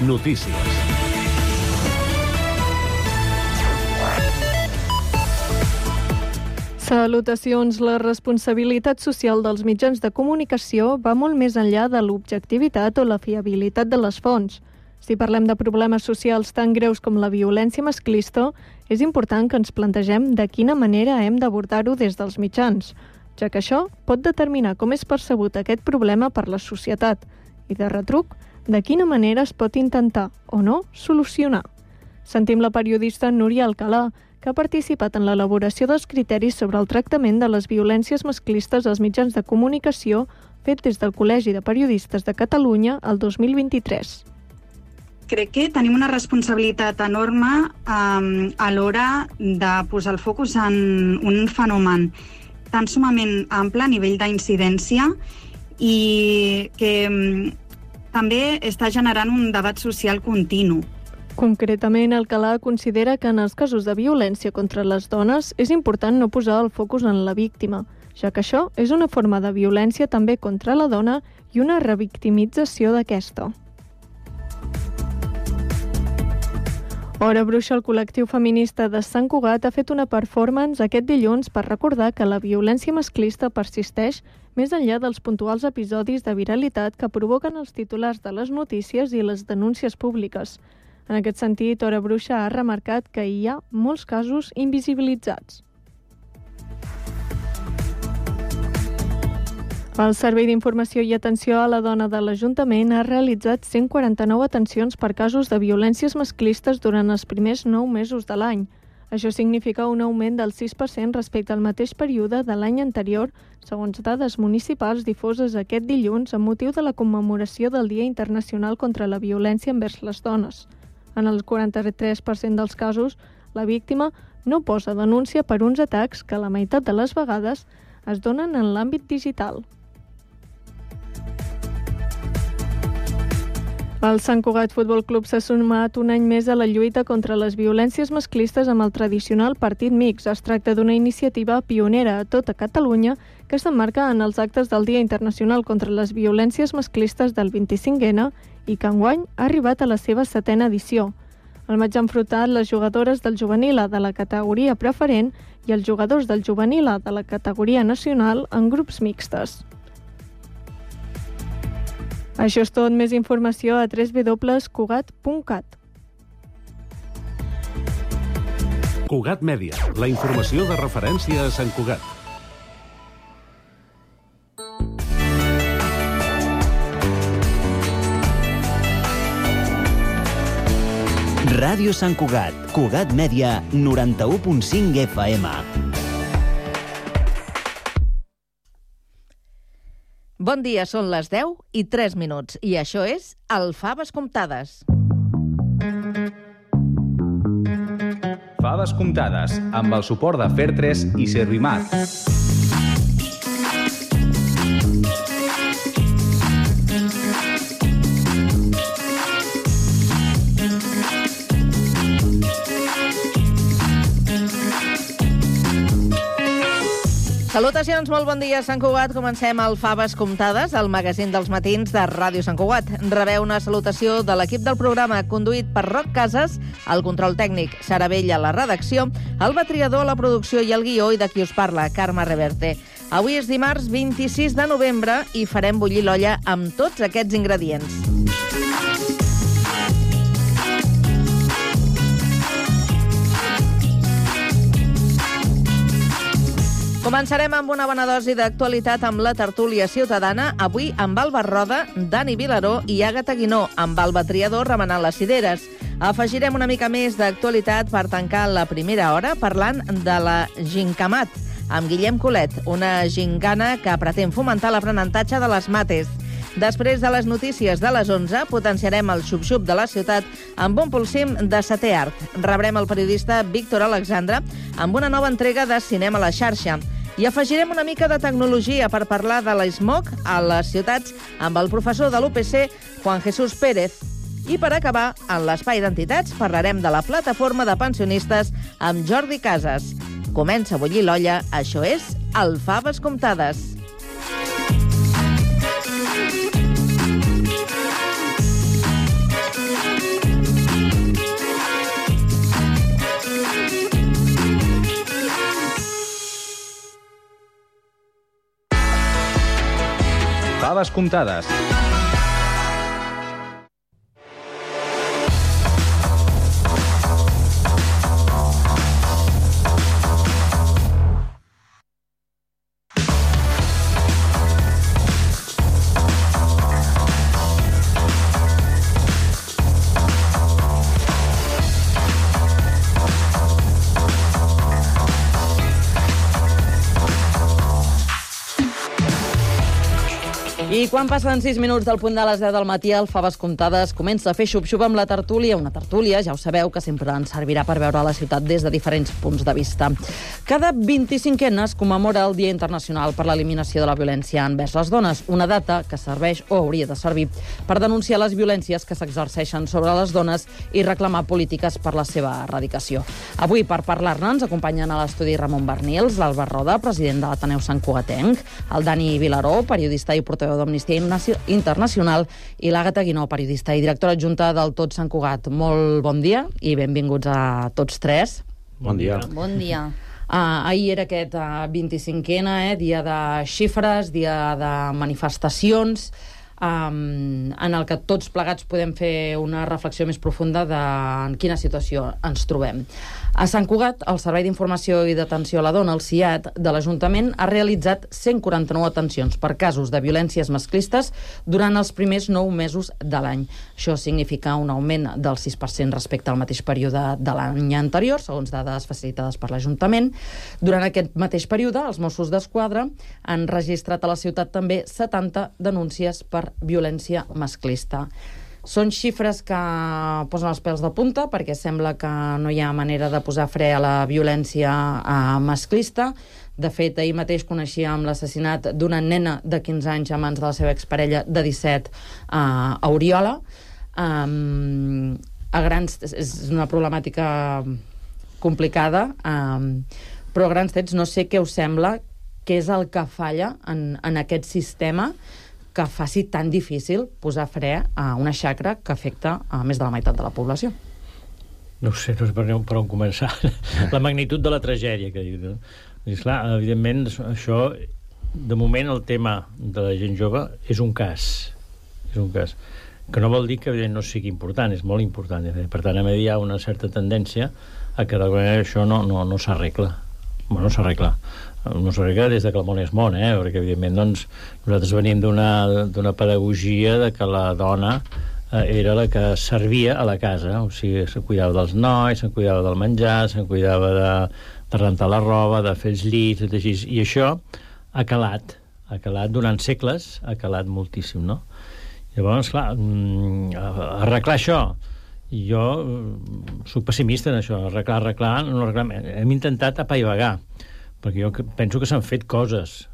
Notícies. Salutacions. La responsabilitat social dels mitjans de comunicació va molt més enllà de l'objectivitat o la fiabilitat de les fonts. Si parlem de problemes socials tan greus com la violència masclista, és important que ens plantegem de quina manera hem d'abordar-ho des dels mitjans, ja que això pot determinar com és percebut aquest problema per la societat i, de retruc, de quina manera es pot intentar, o no, solucionar. Sentim la periodista Núria Alcalà, que ha participat en l'elaboració dels criteris sobre el tractament de les violències masclistes als mitjans de comunicació fet des del Col·legi de Periodistes de Catalunya el 2023. Crec que tenim una responsabilitat enorme a l'hora de posar el focus en un fenomen tan sumament ample a nivell d'incidència i que també està generant un debat social continu. Concretament, Alcalà considera que en els casos de violència contra les dones és important no posar el focus en la víctima, ja que això és una forma de violència també contra la dona i una revictimització d'aquesta. Hora Bruixa, el col·lectiu feminista de Sant Cugat, ha fet una performance aquest dilluns per recordar que la violència masclista persisteix més enllà dels puntuals episodis de viralitat que provoquen els titulars de les notícies i les denúncies públiques. En aquest sentit, Hora Bruixa ha remarcat que hi ha molts casos invisibilitzats. El Servei d'Informació i Atenció a la Dona de l'Ajuntament ha realitzat 149 atencions per casos de violències masclistes durant els primers 9 mesos de l'any. Això significa un augment del 6% respecte al mateix període de l'any anterior, segons dades municipals difoses aquest dilluns amb motiu de la commemoració del Dia Internacional contra la Violència envers les Dones. En el 43% dels casos, la víctima no posa denúncia per uns atacs que la meitat de les vegades es donen en l'àmbit digital. El Sant Cugat Futbol Club s'ha sumat un any més a la lluita contra les violències masclistes amb el tradicional partit mixt. Es tracta d'una iniciativa pionera a tota Catalunya que s'emmarca en els actes del Dia Internacional contra les Violències Masclistes del 25N i que enguany ha arribat a la seva 7ª edició. El maig han enfrontat les jugadores del juvenil A de la categoria preferent i els jugadors del juvenil A de la categoria nacional en grups mixtes. Això és tot. Més informació a www.cugat.cat. Cugat Mèdia, la informació de referència a Sant Cugat. Ràdio Sant Cugat, Cugat Mèdia, 91.5 FM. Bon dia, són les 10:03 i això és el Faves Comptades. Faves Comptades, amb el suport de Fer3 i Servimat. Salutacions, molt bon dia, Sant Cugat. Comencem el Faves Comptades, el magazín dels matins de Ràdio Sant Cugat. Rebeu una salutació de l'equip del programa, conduït per Roc Casas, el control tècnic, Sara Vella, la redacció, el batriador, la producció i el guió, i de qui us parla, Carme Reverte. Avui és dimarts 26 de novembre i farem bullir l'olla amb tots aquests ingredients. Començarem amb una bona dosi d'actualitat amb la tertúlia ciutadana, avui amb Alba Roda, Dani Vilaró i Àgata Guinó, amb Alba Triador remenant les cireres. Afegirem una mica més d'actualitat per tancar la primera hora parlant de la Gincamat, amb Guillem Colet, una gingana que pretén fomentar l'aprenentatge de les mates. Després de les notícies de les 11, potenciarem el xup-xup de la ciutat amb un pulsim de setè art. Rebrem el periodista Víctor Alexandre amb una nova entrega de Cinema a la xarxa. I afegirem una mica de tecnologia per parlar de l'SMOG a les ciutats amb el professor de l'UPC, Juan Jesús Pérez. I per acabar, en l'espai d'entitats parlarem de la plataforma de pensionistes amb Jordi Casas. Comença a bullir l'olla, això és el Faves Comptades. faves comptades. I quan passen 6 minuts del punt de les 10 del matí, el Faves Comptades comença a fer xup-xup amb la tertúlia. Una tertúlia, ja ho sabeu, que sempre ens servirà per veure la ciutat des de diferents punts de vista. Cada 25ena es commemora el Dia Internacional per l'Eliminació de la Violència envers les dones, una data que serveix o hauria de servir per denunciar les violències que s'exerceixen sobre les dones i reclamar polítiques per la seva erradicació. Avui, per parlar-ne, ens acompanyen a l'estudi Ramon Bernils, l'Albert Roda, president de l'Ateneu Santcugatenc, el Dani Vilaró, periodista i portaveu d'Amnistia Internacional, i l'Àgata Guinó, periodista i directora adjunta del Tot Sant Cugat. Molt bon dia i benvinguts a tots tres. Bon dia. Bon dia. Ahir era aquest 25ena, dia de xifres, dia de manifestacions, en el que tots plegats podem fer una reflexió més profunda de en quina situació ens trobem. A Sant Cugat, el Servei d'Informació i d'Atenció a la Dona, el SIAD, de l'Ajuntament, ha realitzat 149 atencions per casos de violències masclistes durant els primers 9 mesos de l'any. Això significa un augment del 6% respecte al mateix període de l'any anterior, segons dades facilitades per l'Ajuntament. Durant aquest mateix període, els Mossos d'Esquadra han registrat a la ciutat també 70 denúncies per violència masclista. Són xifres que posen els pèls de punta perquè sembla que no hi ha manera de posar fre a la violència masclista. De fet, ahir mateix coneixíem l'assassinat d'una nena de 15 anys a mans de la seva exparella de 17 a Oriola. És una problemàtica complicada, però a grans trets no sé què us sembla, què és el que falla en aquest sistema que faci tan difícil posar fre a una xacra que afecta a més de la meitat de la població. No sé per on començar. La magnitud de la tragèdia que diu. No? I clar, evidentment, això, de moment, el tema de la gent jove és un cas. És un cas. Que no vol dir que no sigui important, és molt important. Per tant, hi ha una certa tendència a que d'alguna manera això no s'arregla. Bueno, no s'arregla. No s'arregla des de que el món és món, perquè evidentment doncs, nosaltres venim d'una pedagogia de que la dona era la que servia a la casa, o sigui, se'n cuidava dels nois, se'n cuidava del menjar, se'n cuidava de rentar la roba, de fer els llits, tot així. I això ha calat durant segles, ha calat moltíssim, no? Llavors, clar, arreglar això, jo soc pessimista en això, arreglar, no arreglar. Hem intentat apaivagar, perquè jo penso que s'han fet coses,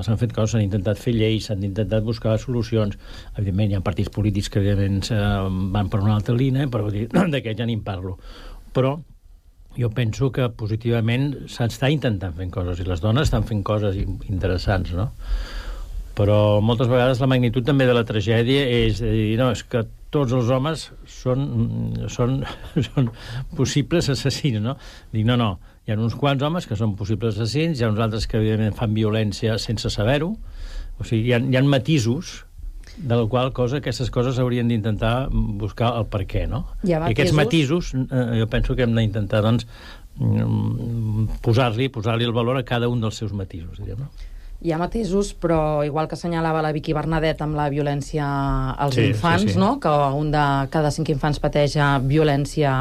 s'han intentat fer lleis, s'han intentat buscar solucions. Evidentment hi ha partits polítics que evidentment van per una altra línia, però d'aquest ja ni en parlo. Però jo penso que positivament s'està intentant fer coses, i les dones estan fent coses interessants, no? Però moltes vegades la magnitud també de la tragèdia és dir, no, és que tots els homes són possibles assassins, no? Dic, no, hi ha uns quants homes que són possibles assassins, hi ha uns altres que evidentment fan violència sense saber-ho, o sigui, hi ha matisos de la qual cosa aquestes coses haurien d'intentar buscar el per què, no? I aquests matisos jo penso que hem d'intentar doncs posar-li el valor a cada un dels seus matisos, diríem, no? Hi ha matisos, però igual que assenyalava la Vicky Bernadet amb la violència als infants, no? Que un de cada 5 infants pateix violència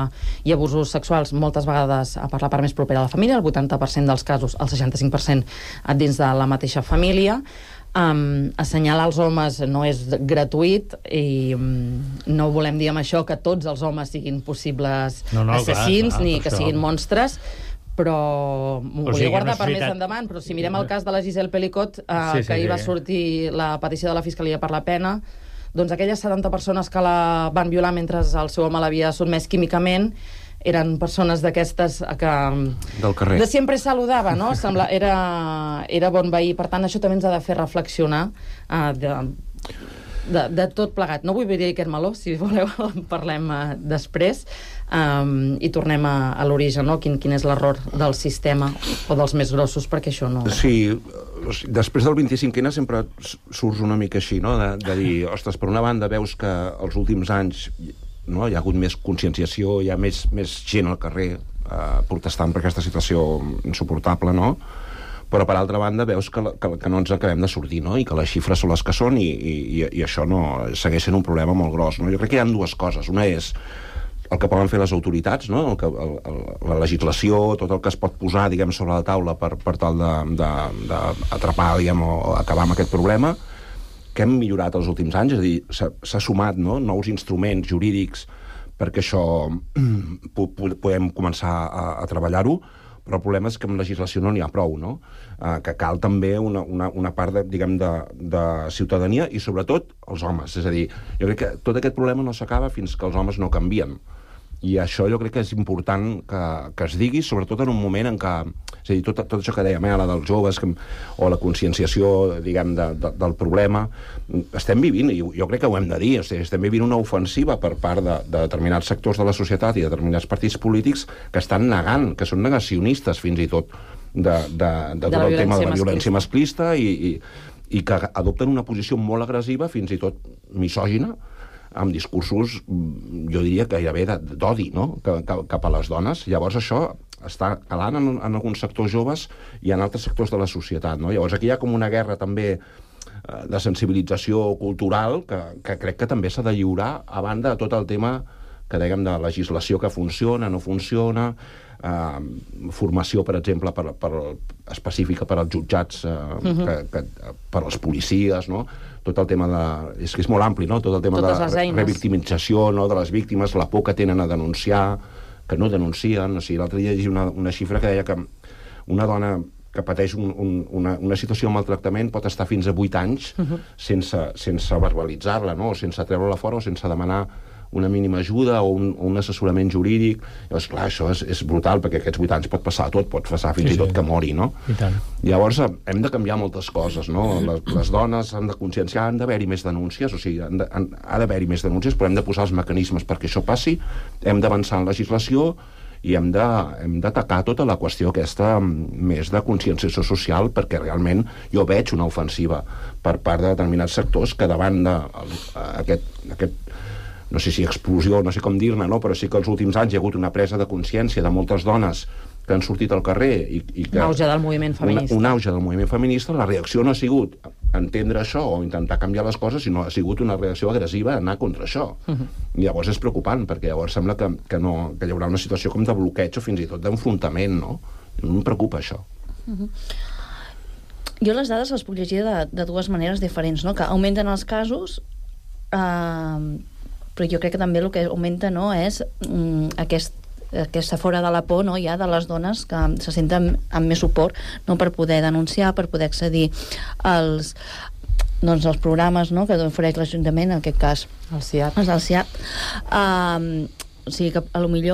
i abusos sexuals, moltes vegades per la part més propera a la família, el 80% dels casos, el 65% dins de la mateixa família. Assenyalar els homes no és gratuït i no volem dir amb això que tots els homes siguin possibles assassins, ni que siguin monstres, però m'ho volia guardar per més endavant, però si mirem el cas de la Giselle Pelicot, que ahir va sortir la petició de la Fiscalia per la pena, doncs aquelles 70 persones que la van violar mentre el seu home l'havia sotmès químicament eren persones d'aquestes que del carrer. De sempre saludava, no? Era bon veí, per tant això també ens ha de fer reflexionar de tot plegat. No vull obrir aquest meló, si voleu en parlem després, i tornem a l'origen, no? Quin és l'error del sistema o dels més grossos, perquè això no... Sí, després del 25N sempre surts una mica així, no? De dir, ostres, per una banda veus que els últims anys, no, hi ha hagut més conscienciació, hi ha més gent al carrer protestant per aquesta situació insuportable, no? Però per altra banda veus que no ens acabem de sortir, no? I que les xifres són les que són i això no segueix sent un problema molt gros, no? Jo crec que hi ha dues coses. Una és el que poden fer les autoritats, no? La legislació, tot el que es pot posar, diguem, sobre la taula per tal d'atrapar, diguem, o acabar amb aquest problema, que hem millorat els últims anys, és a dir, s'ha sumat, no? Nous instruments jurídics perquè això podem començar a treballar-ho, però el problema és que amb legislació no n'hi ha prou, no? Que cal també una part, diguem, de ciutadania i sobretot els homes. És a dir, jo crec que tot aquest problema no s'acaba fins que els homes no canvien. I això jo crec que és important que es digui, sobretot en un moment en què, és a dir, tot això que dèiem, la dels joves, o la conscienciació, diguem, del problema, estem vivint, i jo crec que ho hem de dir, o sigui, estem vivint una ofensiva per part de determinats sectors de la societat i de determinats partits polítics que estan negant, que són negacionistes fins i tot de tot el tema de la violència masclista i que adopten una posició molt agressiva, fins i tot misògina, amb discursos, jo diria, gairebé d'odi, no?, cap a les dones. Llavors això està calant en alguns sectors joves i en altres sectors de la societat, no? Llavors aquí hi ha com una guerra també de sensibilització cultural que crec que també s'ha de lliurar a banda de tot el tema que dèiem de legislació que funciona, no funciona, formació, per exemple, específica per als jutjats, per als policies, no? Tot el tema de... És que és molt ampli, no? Tot el tema de la revictimització, no?, de les víctimes, la por que tenen a denunciar, que no denuncien. O sigui, l'altre dia llegia una xifra que deia que una dona que pateix una situació de maltractament pot estar fins a 8 anys sense verbalitzar-la, no?, o sense treure-la fora, o sense demanar una mínima ajuda o un assessorament jurídic. Llavors, clar, això és brutal, perquè aquests 8 anys pot passar tot, pot passar fins i tot que mori, no? Llavors, hem de canviar moltes coses, no? Les dones han de conscienciar, han d'haver-hi més denúncies, o sigui, ha d'haver-hi més denúncies, però hem de posar els mecanismes perquè això passi, hem d'avançar en legislació i hem d'atacar tota la qüestió aquesta més de conscienciació social, perquè realment jo veig una ofensiva per part de determinats sectors que davant d'aquest no sé si explosió, no sé com dir-ne, no? Però sí que els últims anys hi ha hagut una presa de consciència de moltes dones que han sortit al carrer i que... Un auge del moviment feminista. Un auge del moviment feminista. La reacció no ha sigut entendre això o intentar canviar les coses, sinó ha sigut una reacció agressiva a anar contra això. I llavors és preocupant, perquè llavors sembla que hi haurà una situació com de bloqueig o fins i tot d'enfrontament, no? Em preocupa això. Jo les dades les puc llegir de dues maneres diferents, no? Que augmenten els casos, però jo crec que també el que augmenta, no, és aquesta fora de la por, no, ja de les dones que se senten amb més suport, no, per poder denunciar, per poder accedir als programes, no, que ofereix l'Ajuntament, en aquest cas el CIAT. El CIAT. O sigui que potser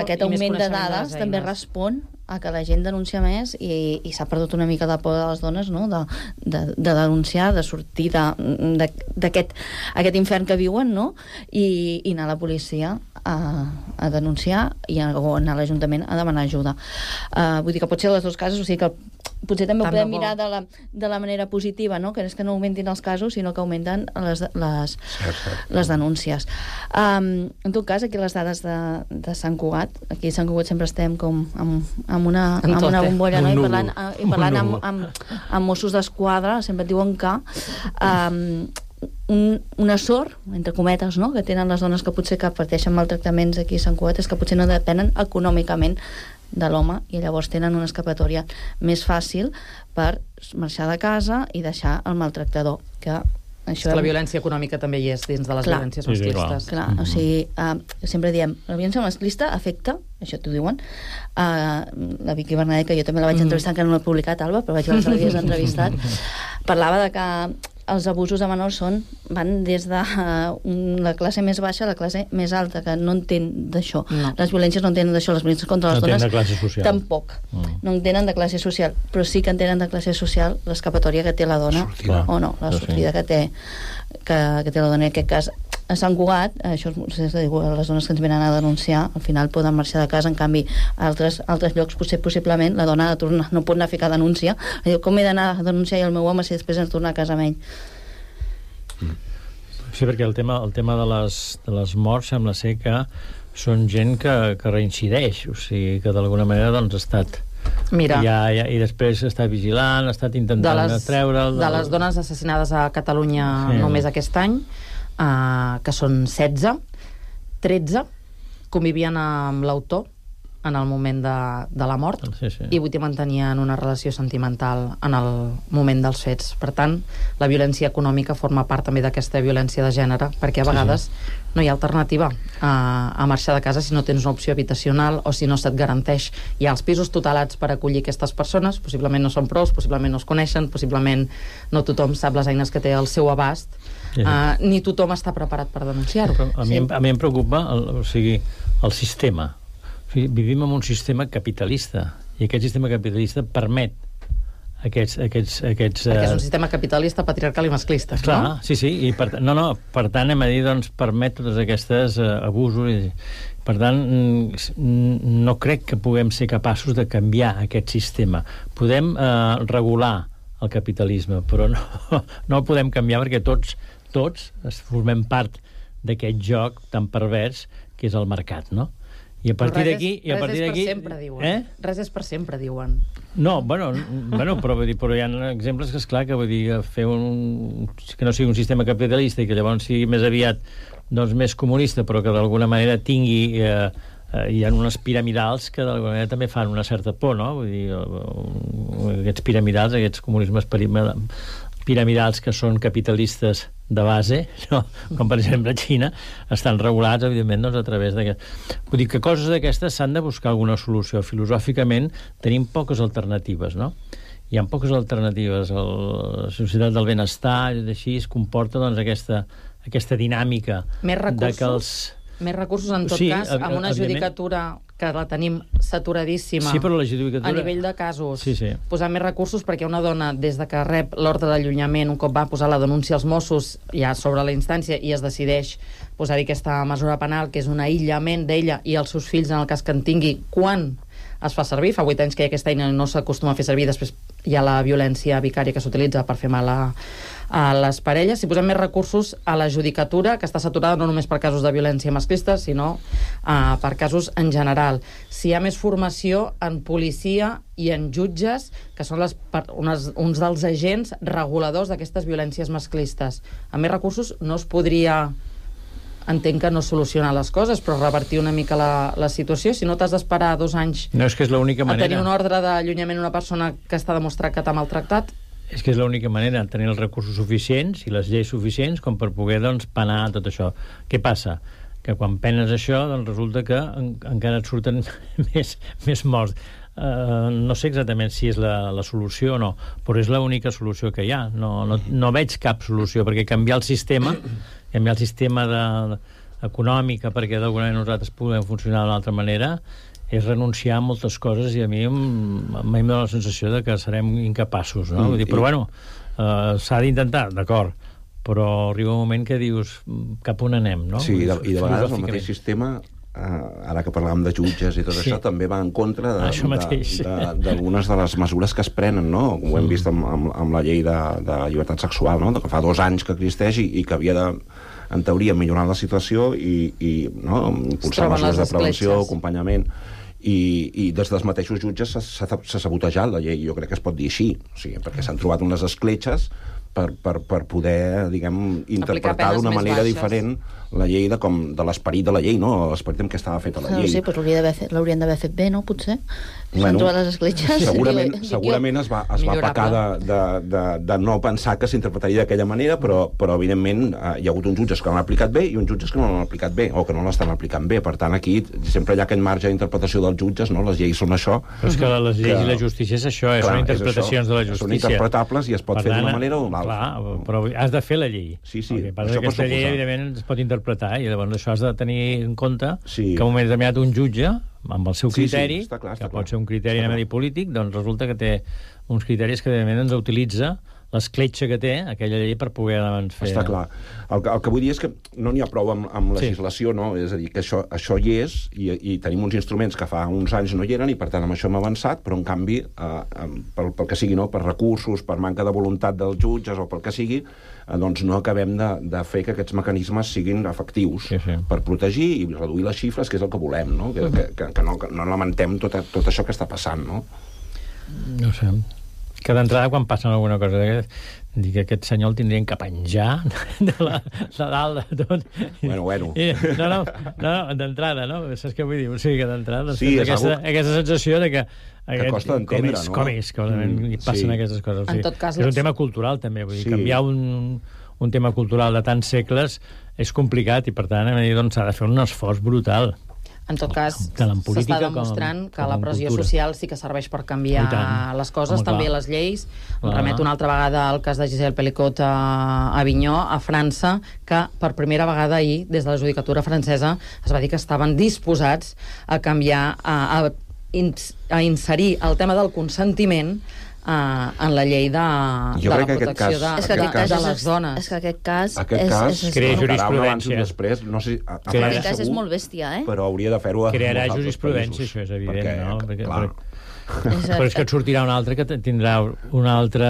aquest augment de dades també respon a que la gent denuncia més i s'ha perdut una mica de por de les dones, no?, de denunciar, de sortir d'aquest infern que viuen, no?, i anar a la policia a denunciar o anar a l'Ajuntament a demanar ajuda. Vull dir que pot ser els dos casos, o sigui que potser també ho podem mirar de la manera positiva, no?, que és que no augmentin els casos, sinó que augmenten les denúncies. En tot cas, aquí les dades de Sant Cugat, aquí a Sant Cugat sempre estem com amb una bombolla, no?, i parlant amb Mossos d'Esquadra, sempre et diuen que una sort, entre cometes, no?, que tenen les dones que potser que pateixen maltractaments aquí a Sant Cugat és que potser no depenen econòmicament de l'home i llavors tenen una escapatòria més fàcil per marxar de casa i deixar el maltractador, que això... La violència econòmica també hi és dins de les violències masclistes. Clar, o sigui, sempre diem, la violència masclista afecta, això t'ho diuen, la Vicky Bernadette, que jo també la vaig entrevistar, que no l'he publicat, Alba, però vaig veure que l'havies entrevistat, parlava de que els abusos de menors van des de la classe més baixa a la classe més alta, que no entén d'això. No. Les violències no entenen d'això, les violències contra les dones de classe social. Tampoc. No entenen de classe social, però sí que entenen de classe social l'escapatòria que té la dona, o no, la sortida que té la dona. En aquest cas, a Sant Cugat, això és a dir, les dones que ens venen a denunciar al final poden marxar de casa, en canvi a altres llocs possiblement la dona no pot anar a ficar denúncia, com he d'anar a denunciar el meu home si després hem de tornar a casa amb ell. Sí, perquè el tema de les morts sembla ser que són gent que reincideix, o sigui que d'alguna manera doncs ha estat i després està vigilant, ha estat intentant treure'l. De les dones assassinades a Catalunya només aquest any, que són 16, 13 convivien amb l'autor en el moment de la mort i 8 mantenien una relació sentimental en el moment dels fets. Per tant, la violència econòmica forma part també d'aquesta violència de gènere, perquè a vegades no hi ha alternativa a marxar de casa si no tens una opció habitacional o si no se't garanteix. Hi ha els pisos tutelats per acollir aquestes persones, possiblement no són prous, possiblement no es coneixen, possiblement no tothom sap les eines que té al seu abast, ni tothom està preparat per denunciar-ho. A mi em preocupa el sistema. Vivim en un sistema capitalista i aquest sistema capitalista permet aquests perquè és un sistema capitalista, patriarcal i masclista. Clar, no? Sí, i per tant hem de dir, doncs, permet tots aquests abusos. Per tant, no crec que puguem ser capaços de canviar aquest sistema. Podem regular el capitalisme, però no el podem canviar perquè tots formem part d'aquest joc tan pervers que és el mercat, no? I a partir d'aquí... Res és per sempre, diuen. Res és per sempre, diuen. No, però hi ha exemples que, esclar, que vull dir, fer que no sigui un sistema capitalista i que llavors sigui més aviat més comunista, però que d'alguna manera tingui... hi ha unes piramidals que d'alguna manera també fan una certa por, no? Vull dir, aquests piramidals, aquests comunismes piramidals que són capitalistes de base, no? Com per exemple Xina, estan regulats, evidentment, doncs, a través d'aquest... Vull dir que coses d'aquestes s'han de buscar alguna solució. Filosòficament tenim poques alternatives, no? Hi ha poques alternatives. La societat del benestar, així, es comporta doncs, aquesta dinàmica. Més recursos, en tot cas, amb una judicatura que la tenim saturadíssima a nivell de casos. Posar més recursos perquè una dona, des de que rep l'ordre d'allunyament, un cop va posar la denúncia als Mossos ja sobre la instància i es decideix posar-hi aquesta mesura penal, que és un aïllament d'ella i els seus fills, en el cas que en tingui, quan es fa servir. Fa 8 anys que hi ha aquesta eina, no s'acostuma a fer servir, després hi ha la violència vicària que s'utilitza per fer mal a les parelles. Si posem més recursos a la judicatura, que està saturada no només per casos de violència masclista, sinó per casos en general. Si hi ha més formació en policia i en jutges, que són uns dels agents reguladors d'aquestes violències masclistes. Amb més recursos no es podria... Entenc que no solucionar les coses, però revertir una mica la situació. Si no t'has d'esperar 2 anys és l'única manera. A tenir una ordre d'allunyament una persona que està demostrat que t'ha maltractat... És que és l'única manera, tenir els recursos suficients i les lleis suficients com per poder, doncs, penar tot això. Què passa? Que quan penes això, doncs resulta que encara et surten més morts. No sé exactament si és la solució o no, però és l'única solució que hi ha. No veig cap solució, perquè canviar el sistema econòmic perquè d'alguna manera nosaltres puguem funcionar d'una altra manera és renunciar a moltes coses i a mi em dóna la sensació de que serem incapaços, no? Vull dir, però bueno, s'ha d'intentar, d'acord, però arriba un moment que dius cap on anem, no? Sí, i de vegades el mateix sistema, ara que parlàvem de jutges i tot això, també va en contra d'algunes de les mesures que es prenen, no? Ho hem vist amb la llei de llibertat sexual, no? Que fa 2 anys que existeix i que havia de, en teoria, millorar la situació i impulsar mesures de prevenció, acompanyament, i des dels mateixos jutges s'ha sabotejat la llei, jo crec que es pot dir així, perquè s'han trobat unes escletxes per poder, diguem, interpretar d'una manera diferent la llei de l'esperit de la llei, no? L'esperit amb què estava feta la llei. Sí, però l'haurien d'haver fet bé, no? Potser. S'han trobat les escletxes. Segurament es va pecar de no pensar que s'interpretaria d'aquella manera, però evidentment hi ha hagut uns jutges que l'han aplicat bé i uns jutges que no l'han aplicat bé, o que no l'estan aplicant bé. Per tant, aquí sempre hi ha aquell marge d'interpretació dels jutges, no? Les lleis són això. Però és que les lleis i la justícia és això, són interpretacions de la justícia. Són interpretables i es pot fer d'una manera o d'una val. Clar, però has de fer la llei. Sí. El que passa és que aquesta llei, evidentment, es pot interpretar, i llavors això has de tenir en compte que en un moment determinat un jutge, amb el seu criteri, que pot ser un criteri polític, doncs resulta que té uns criteris que, evidentment, ens utilitza l'escletxa que té aquella llei per poder fer... Està clar. El que vull dir és que no n'hi ha prou amb legislació, no? És a dir, que això hi és, i tenim uns instruments que fa uns anys no hi eren, i per tant amb això hem avançat, però en canvi, pel que sigui, per recursos, per manca de voluntat dels jutges o pel que sigui, doncs no acabem de fer que aquests mecanismes siguin efectius per protegir i reduir les xifres, que és el que volem, no? Que no lamentem tot això que està passant, no? No sé... que d'entrada quan passen alguna cosa d'aquest, dic que aquest senyor el tindrien que penjar de dalt de tot. Bueno. No, d'entrada, no? Saps què vull dir? O sigui, que d'entrada aquesta sensació de que costa d'entendre, no? Com és, que passen aquestes coses. En tot cas, és un tema cultural, també. Vull dir, canviar un tema cultural de tants segles és complicat i, per tant, s'ha de fer un esforç brutal. En tot cas, s'està demostrant que la pressió social sí que serveix per canviar les coses, també les lleis. Em remeto una altra vegada al cas de Gisèle Pelicot a Avinyó, a França, que per primera vegada ahir, des de la judicatura francesa, es va dir que estaven disposats a canviar, a inserir el tema del consentiment en la llei de la protecció de les dones. És que aquest cas crea jurisprudència. No sé, aquest cas és molt bèstia, però hauria de fer-ho a crearà jurisprudència, això és evident, no? Però és que et sortirà un altre que tindrà una altra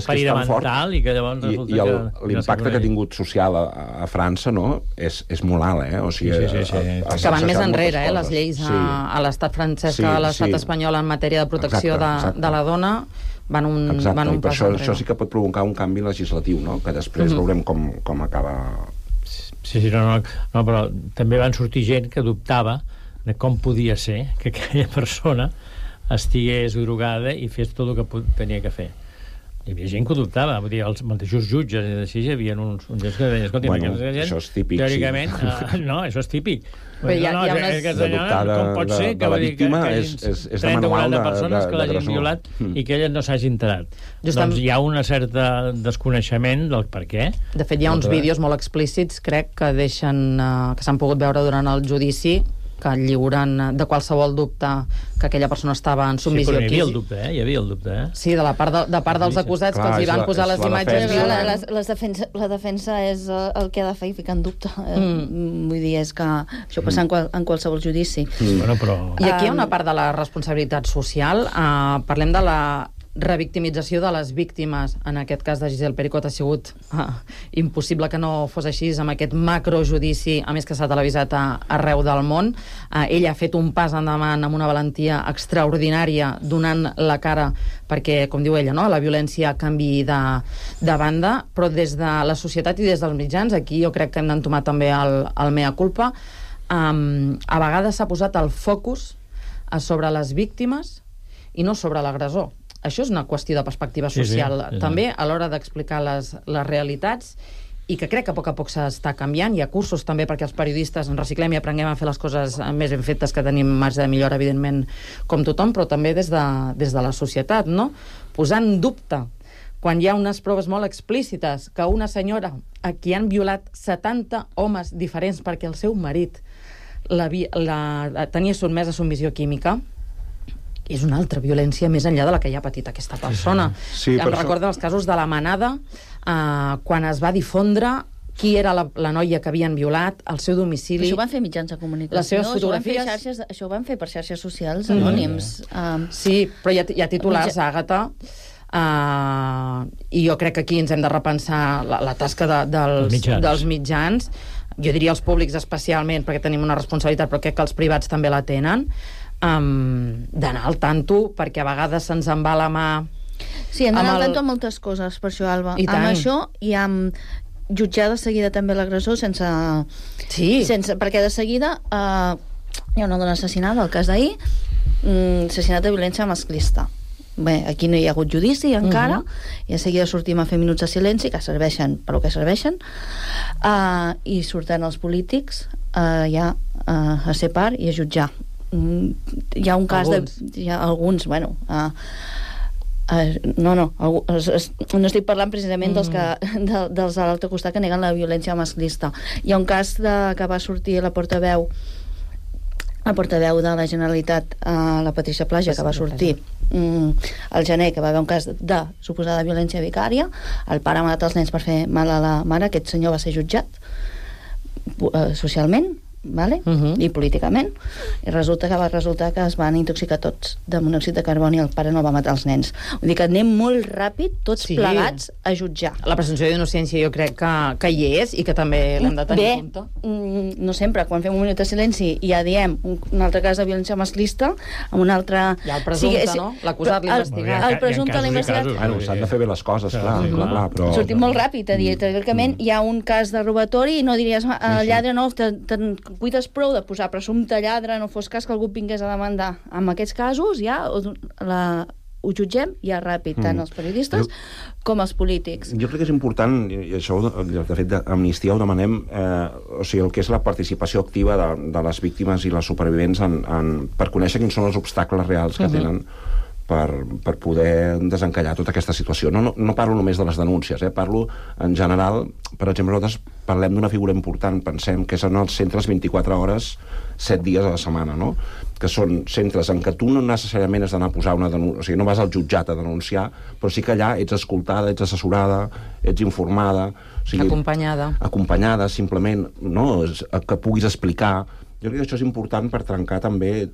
ferida mental i que llavors resulta que... l'impacte que ha tingut social a França, no?, és molt alt, eh? O sigui, que van més enrere, les lleis a l'estat francès que a l'estat espanyol en matèria de protecció de la dona van un pas enrere. Això sí que pot provocar un canvi legislatiu, no?, que després veurem com acaba... Sí, no, però també van sortir gent que dubtava de com podia ser que aquella persona estigués drogada i fes tot el que tenia que fer. Hi havia gent que ho dubtava, vull dir, els mateixos jutges i així, hi havia uns gens que deien, escolta, això és típic, teòricament, no, això és típic. Però hi ha com pot ser que és de manual 40 persones que l'hagin violat i que elles no s'hagin enterat. Doncs hi ha un cert desconeixement del per què. De fet, hi ha uns vídeos molt explícits, crec, que s'han pogut veure durant el judici, que lliuren de qualsevol dubte que aquella persona estava en submissió. Sí, però hi havia el dubte, Sí, de part dels acusats, que els hi van posar les imatges. La defensa és el que ha de fer i ficar en dubte. Vull dir, és que això passa en qualsevol judici. I aquí hi ha una part de la responsabilitat social. Parlem de la revictimització de les víctimes. En aquest cas de Gisèle Pelicot ha sigut impossible que no fos així, amb aquest macrojudici, a més que s'ha televisat arreu del món. Ella ha fet un pas endavant amb una valentia extraordinària, donant la cara perquè, com diu ella, la violència canviï de banda, però des de la societat i des dels mitjans, aquí jo crec que hem d'entomar també el mea culpa, a vegades s'ha posat el focus sobre les víctimes i no sobre l'agressor. Això és una qüestió de perspectiva social, també a l'hora d'explicar les realitats, i que crec que a poc s'està canviant. Hi ha cursos també perquè els periodistes ens reciclem i aprenguem a fer les coses més ben fetes, que tenim marge de millora, evidentment, com tothom, però també des de la societat, no? Posar en dubte, quan hi ha unes proves molt explícites, que una senyora a qui han violat 70 homes diferents perquè el seu marit la tenia sotmesa a submissió química, és una altra violència més enllà de la que ja ha patit aquesta persona. Em recordo els casos de la Manada, quan es va difondre qui era la noia que havien violat, el seu domicili... Això ho van fer mitjans de comunicació, les seves fotografies... Això ho van fer per xarxes socials anònims. Sí, però hi ha titulars, Àgata, i jo crec que aquí ens hem de repensar la tasca dels mitjans, jo diria els públics especialment, perquè tenim una responsabilitat, però crec que els privats també la tenen, d'anar al tanto, perquè a vegades se'ns en va la mà... Sí, hem d'anar al tanto amb moltes coses, per això, Alba. Amb això i amb jutjar de seguida també l'agressor sense... Perquè de seguida hi ha una dona assassinada, el cas d'ahir, assassinat de violència masclista. Bé, aquí no hi ha hagut judici encara, i a seguida sortim a fer minuts de silenci, que serveixen per el que serveixen, i surten els polítics ja a ser part i a jutjar. Hi ha un cas alguns, bueno, No estic parlant precisament dels de l'altre costat que neguen la violència masclista. Hi ha un cas que va sortir la portaveu de la Generalitat, la Patricia Plaja, que va sortir al gener, que va haver un cas de suposada violència vicària. El pare ha matat els nens per fer mal a la mare. Aquest senyor va ser jutjat socialment, vale? I políticament, i resulta que es van intoxicar tots de monòxid de carboni i el pare no va matar els nens. Vull dir que anem molt ràpid tots plegats a jutjar. La presumpció d'innocència jo crec que hi és i que també l'hem de tenir en compte. No sempre, quan fem un minut de silenci i ja diem un altre cas de violència masclista, amb un altre... Hi ha el presumpte, no? L'acusat, l'investigat. El presumpte, l'investigat. S'han de fer bé les coses, clar, però... Sortim molt ràpid a dir, teòricament hi ha un cas de robatori i no diries lladre, no, cuides prou de posar presumpte lladre, no fos cas que algú vingués a demandar. En aquests casos ja ho jutgem ja ràpid, tant els periodistes com els polítics. Jo crec que és important, i això de fet d'Amnistia ho demanem, o sigui, el que és la participació activa de les víctimes i les supervivents per conèixer quins són els obstacles reals que tenen per poder desencallar tota aquesta situació. No parlo només de les denúncies, parlo en general. Per exemple, nosaltres parlem d'una figura important, pensem, que són els centres 24 hores, 7 dies a la setmana, no? Que són centres en què tu no necessàriament has d'anar a posar una denúncia, o sigui, no vas al jutjat a denunciar, però sí que allà ets escoltada, ets assessorada, ets informada, o sigui, acompanyada, simplement, no? Que puguis explicar. Jo crec que això és important per trencar també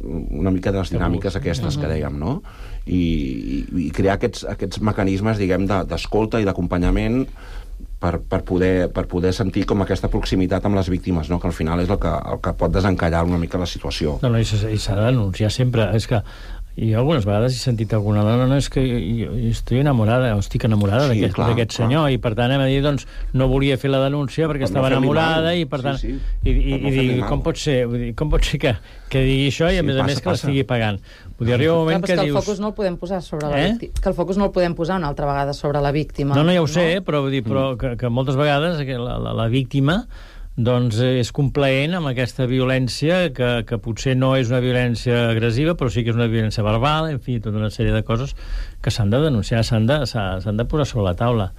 una mica de les dinàmiques aquestes que dèiem, no? I crear aquests mecanismes, diguem, d'escolta i d'acompanyament per poder sentir com aquesta proximitat amb les víctimes, no? Que al final és el que pot desencallar una mica la situació. No, i s'ha de denunciar sempre. És que jo algunes vegades he sentit alguna dona, no, és que jo estic enamorada d'aquest senyor, i per tant hem de dir, doncs, no volia fer la denúncia perquè estava enamorada, i per tant i com pot ser que digui això i a més que l'estigui pagant. Vull dir, arriba un moment que dius... el focus no el podem posar sobre la víctima. Que el focus no el podem posar una altra vegada sobre la víctima. No, ja ho sé, però que moltes vegades la víctima doncs és complaent amb aquesta violència que potser no és una violència agressiva, però sí que és una violència verbal, en fi, tota una sèrie de coses que s'han de denunciar, s'han de posar sobre la taula.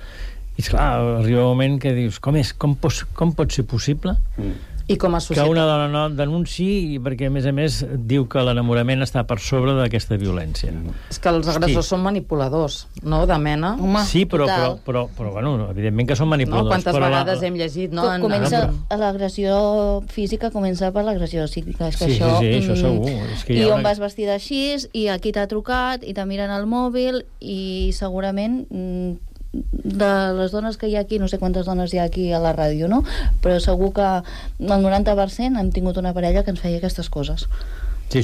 I esclar, arriba un moment que dius, com pot ser possible I com a societat. Que una dona no denunciï, perquè a més diu que l'enamorament està per sobre d'aquesta violència. És que els agressors són manipuladors, no? De mena. Home, sí, però bueno, evidentment que són manipuladors. No? Quantes vegades hem llegit, no? L'agressió física comença per l'agressió psíquica. És que sí, això segur. És que on vas vestida així, i aquí t'ha trucat, i te miren al mòbil, i segurament... de les dones que hi ha aquí, no sé quantes dones hi ha aquí a la ràdio, no? Però segur que el 90% hem tingut una parella que ens feia aquestes coses. Sí,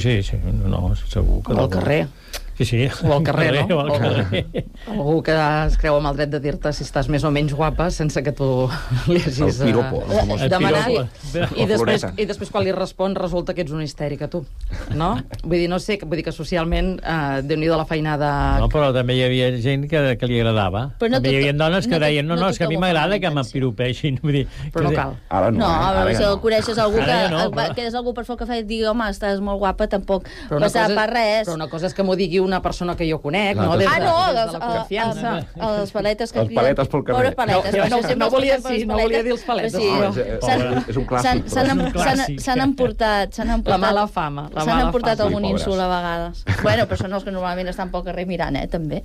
no, segur que... O al carrer. Sí. O al carrer, no? O al carrer. Algú que es creu amb el dret de dir-te si estàs més o menys guapa sense que tu li hagis... El piropo. Demanat. I després quan li respon resulta que ets una histèrica, tu. No? Vull dir, no sé, vull dir que socialment Déu-n'hi-do la feinada... No, però també hi havia gent que li agradava. També hi havia dones que deien, no, és que a mi m'agrada que m'empiropeixin. Però no cal. No, a veure, si coneixes algú que és algú per fer el cafè i et digui, home, estàs molt guapa, tampoc passa per res. Però una cosa és que m'ho digui una persona que jo conec, no? Des de la confiança. Els paletes que... Els paletes pel carrer. No volia dir els paletes. És un clàssic. S'han emportat... La mala fama. S'han emportat algun insult a vegades. Bueno, però són els que normalment estan pel carrer mirant, també.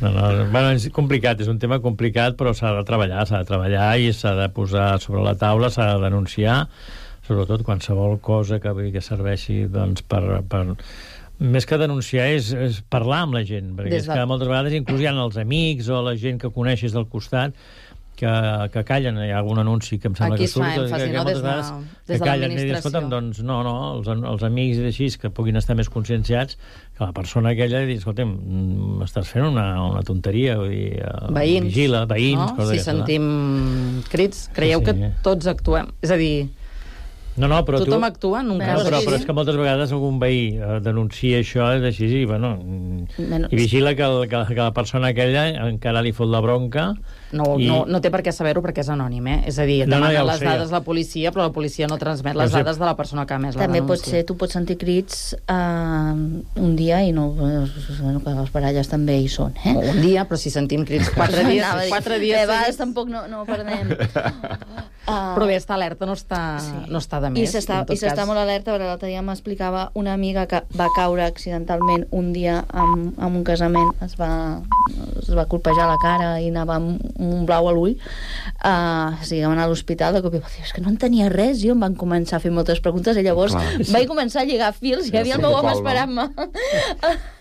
No, bueno, és complicat, és un tema complicat, però s'ha de treballar i s'ha de posar sobre la taula, s'ha de denunciar, sobretot qualsevol cosa que serveixi doncs, per més que denunciar és parlar amb la gent, perquè és que moltes vegades inclús hi ha els amics o la gent que coneixes del costat que callen. Hi ha algun anunci que em sembla que surt, que moltes vegades que callen i diuen, escolta'm, doncs no, els amics i així que puguin estar més conscienciats, que la persona aquella diu, escolta'm, estàs fent una tonteria, vull dir, vigila, veïns, no? Si sentim crits, creieu que tots actuem, és a dir, però tothom actua en un cas així. Però és que moltes vegades algun veí denuncia això així, i vigila que la persona aquella encara li fot la bronca no té per què saber-ho perquè és anònim, És a dir, demana les dades la policia, però la policia no transmet les dades de la persona que ha emès la denúncia. També pot ser, tu pots sentir crits un dia i no, que les baralles també hi són, Un dia, però si sentim crits 4 dies... 4 dies... A vegades tampoc no perdem. Però bé, està alerta, no està de més. I s'està molt alerta, perquè l'altre dia m'explicava una amiga que va caure accidentalment un dia en un casament, es va colpejar la cara i anava amb un blau a l'ull, va anar a l'hospital, de cop i va dir, és que no en tenia res, i em van començar a fer moltes preguntes, i llavors vaig començar a lligar fils, i hi havia el meu home esperant-me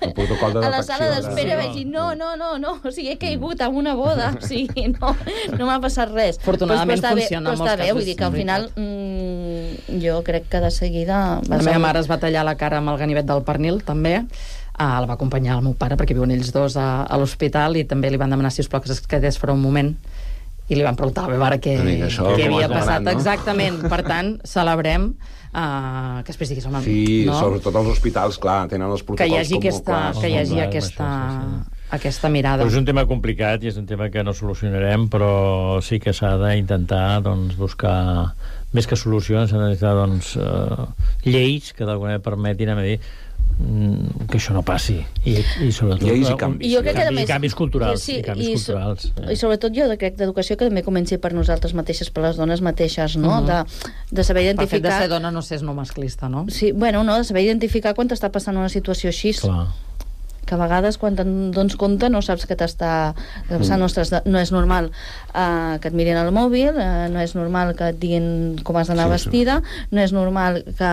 a la sala d'espera, vaig dir, no, o sigui, he caigut en una boda, o sigui, no m'ha passat res. Afortunadament funciona en molts casos. Vull dir que al final jo crec que de seguida... La meva mare es va tallar la cara amb el ganivet del pernil, també. El va acompanyar el meu pare, perquè viuen ells dos a l'hospital, i també li van demanar, sisplau, que es quedés per un moment, i li van preguntar a la meva mare què havia passat exactament. Per tant, celebrem que després diguis, home... Sí, sobretot els hospitals, clar, tenen els protocols que hi hagi aquesta mirada. Però és un tema complicat i és un tema que no solucionarem, però sí que s'ha d'intentar buscar, més que solucions, s'ha d'intentar lleis que d'alguna manera permetin a dir que això no passi i sobretot lleis i canvis, i canvis culturals, i sobretot jo crec d'educació que també comenci per nosaltres mateixes, per les dones mateixes, no? De saber identificar... El fet de ser dona no és no masclista, no? Sí, bueno, de saber identificar quan t'està passant una situació així. Clar. Que a vegades quan te'n dones compte no saps que t'està passant. No és normal que et mirin al mòbil, no és normal que et diguin com has d'anar vestida, no és normal que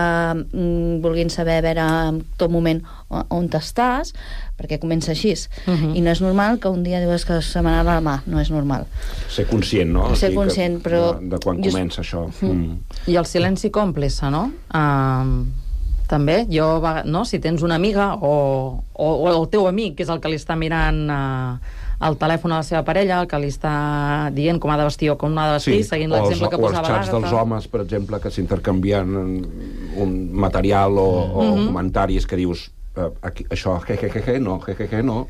vulguin saber a veure en tot moment on t'estàs, perquè comença així. I no és normal que un dia dius que se m'ha anat la mà, no és normal. Ser conscient, no? Ser conscient, però... De quan comença això. I el silenci còmplice, no? També, si tens una amiga o el teu amic, que és el que li està mirant el telèfon a la seva parella, el que li està dient com ha de vestir o com no ha de vestir, seguint l'exemple que posava l'Àgata. O els xats dels homes, per exemple, que s'intercanvien un material o comentaris que dius això, no.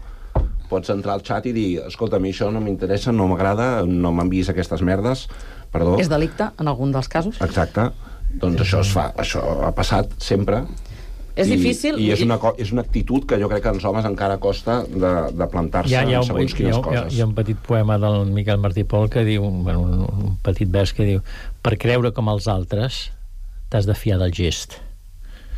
Pots entrar al xat i dir, escolta, a mi això no m'interessa, no m'agrada, no m'enviïs aquestes merdes, perdó. És delicte, en algun dels casos. Exacte. Doncs això ha passat sempre. És difícil. I és una actitud que jo crec que als homes encara costa de plantar-se en segons quines coses. Hi ha un petit poema del Miquel Martí Pol que diu, un petit vers que diu, per creure com els altres t'has de fiar del gest.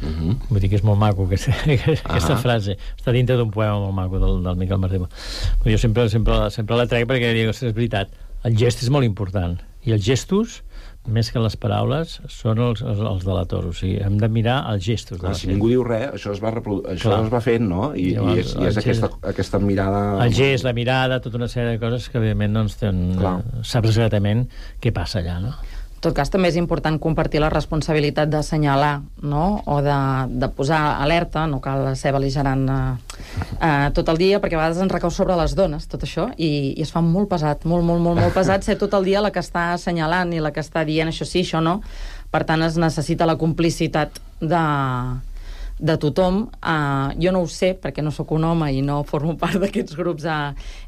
Vull dir que és molt maco aquesta frase. Està dintre d'un poema molt maco del Miquel Martí Pol. Jo sempre la trec perquè dic, és veritat, el gest és molt important i els gestos, més que les paraules, són els delators. O sigui, hem de mirar els gestos. Si ningú diu res, això es va fent, no? I és aquesta mirada... El gest, la mirada, tota una sèrie de coses que, evidentment, saps exactament què passa allà, no? En tot cas, també és important compartir la responsabilitat d'assenyalar, no? O de posar alerta, no cal ser bel·ligerant tot el dia, perquè a vegades ens recau sobre les dones, tot això, i es fa molt pesat, molt pesat ser tot el dia la que està assenyalant i la que està dient això sí, això no. Per tant, es necessita la complicitat de tothom. Jo no ho sé, perquè no sóc un home i no formo part d'aquests grups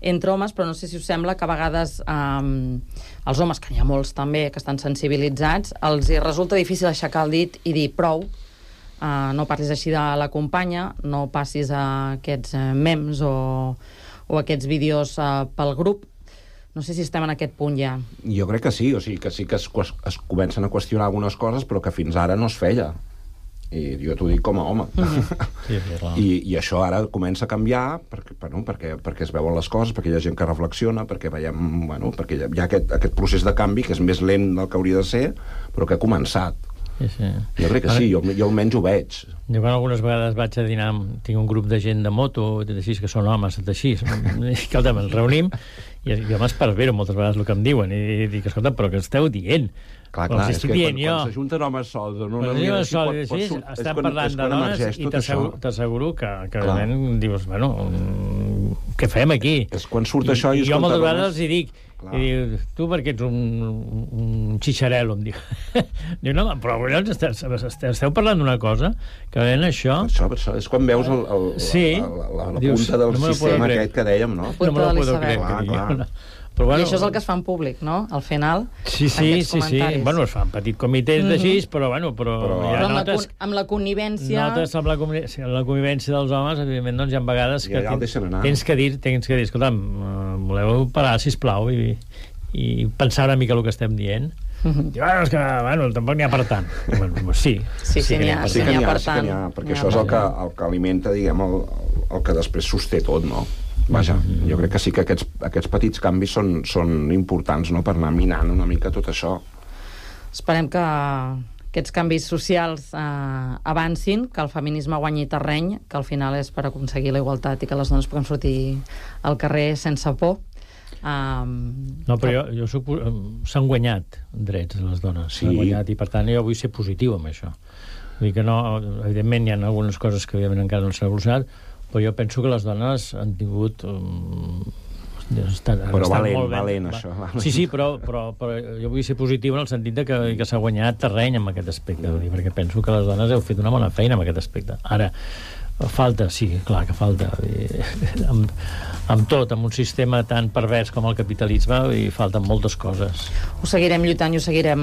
entre homes, però no sé si us sembla que a vegades els homes, que n'hi ha molts també, que estan sensibilitzats, els hi resulta difícil aixecar el dit i dir prou, no parlis així de la companya, no passis aquests memes o aquests vídeos pel grup. No sé si estem en aquest punt ja. Jo crec que sí, o sigui que sí que es comencen a qüestionar algunes coses, però que fins ara no es feia. I jo t'ho dic com a home. Sí, I això ara comença a canviar perquè es veuen les coses, perquè hi ha gent que reflexiona, perquè veiem, perquè hi ha aquest procés de canvi que és més lent del que hauria de ser, però que ha començat. Sí. Jo crec que sí, jo almenys ho veig. Jo quan algunes vegades vaig a dinar, tinc un grup de gent de moto, així que són homes, així, escolta'm, ens reunim i jo m'espervero moltes vegades el que em diuen i dic, escolta, però què esteu dient? Clar, és que quan s'ajunten homes sols en una línia així, estan parlant de dones i t'asseguro que realment dius, què fem aquí? És quan surt això i jo moltes vegades els hi dic, tu perquè ets un xixarel·lo, em diu. Diu, no, però esteu parlant d'una cosa que veient això... Això és quan veus la punta del sistema aquest que dèiem, no? No me la puedo creer. Però, bueno, i això és el que es fa en públic, no? Al final, sí. Bueno, es fan petit comitès d'així, però ja notes... Amb la connivència... Notes amb la convivència dels homes, evidentment, doncs hi ha vegades que tens que dir, escolta'm, voleu parar, sisplau, i pensar una mica el que estem dient. És que, tampoc n'hi ha per tant. Sí, n'hi ha per tant. Perquè això és el que alimenta, diguem, el que després sosté tot, no? Vaja, jo crec que sí que aquests petits canvis són importants, no?, per anar minant una mica tot això. Esperem que aquests canvis socials avancin, que el feminisme guanyi terreny, que al final és per aconseguir la igualtat i que les dones puguem sortir al carrer sense por. No, però s'han guanyat drets les dones, s'han guanyat, i per tant jo vull ser positiu amb això. Vull dir que no, evidentment hi ha algunes coses que òbviament encara no s'han evolucionat, però jo penso que les dones han tingut... Però valent, això. Sí, però jo vull ser positiu en el sentit que s'ha guanyat terreny en aquest aspecte, perquè penso que les dones heu fet una bona feina en aquest aspecte. Ara, falta, sí, clar que falta. Amb tot, amb un sistema tan pervers com el capitalisme, i falten moltes coses. Ho seguirem lluitant i ho seguirem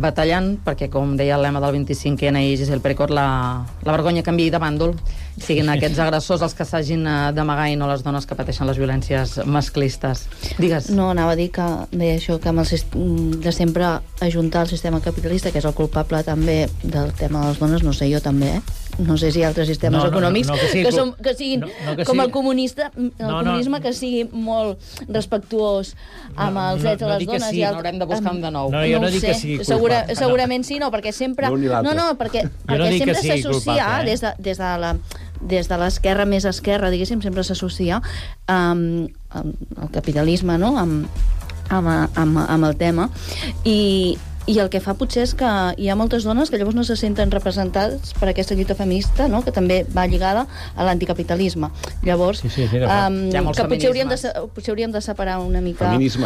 batallant, perquè, com deia el lema del 25N i Giselle Precord, la vergonya canviï de bàndol, siguin aquests agressors els que s'hagin d'amagar i no les dones que pateixen les violències masclistes. Digues. No, anava a dir que deia això, que de sempre ajuntar el sistema capitalista, que és el culpable també del tema de les dones, no sé, jo també, no sé si hi ha altres sistemes econòmics que siguin com el comunisme, que sigui molt respectuós amb els drets de les dones. Sí, haurem de buscar de nou. No, jo no dic que sigui culpable. Segurament sí, no, perquè sempre... perquè sempre s'associa des de l'esquerra més esquerra, diguéssim, sempre s'associa el capitalisme, no?, amb el tema, i el que fa potser és que hi ha moltes dones que llavors no se senten representades per aquesta lluita feminista, no?, que també va lligada a l'anticapitalisme. Llavors, que potser hauríem de separar una mica les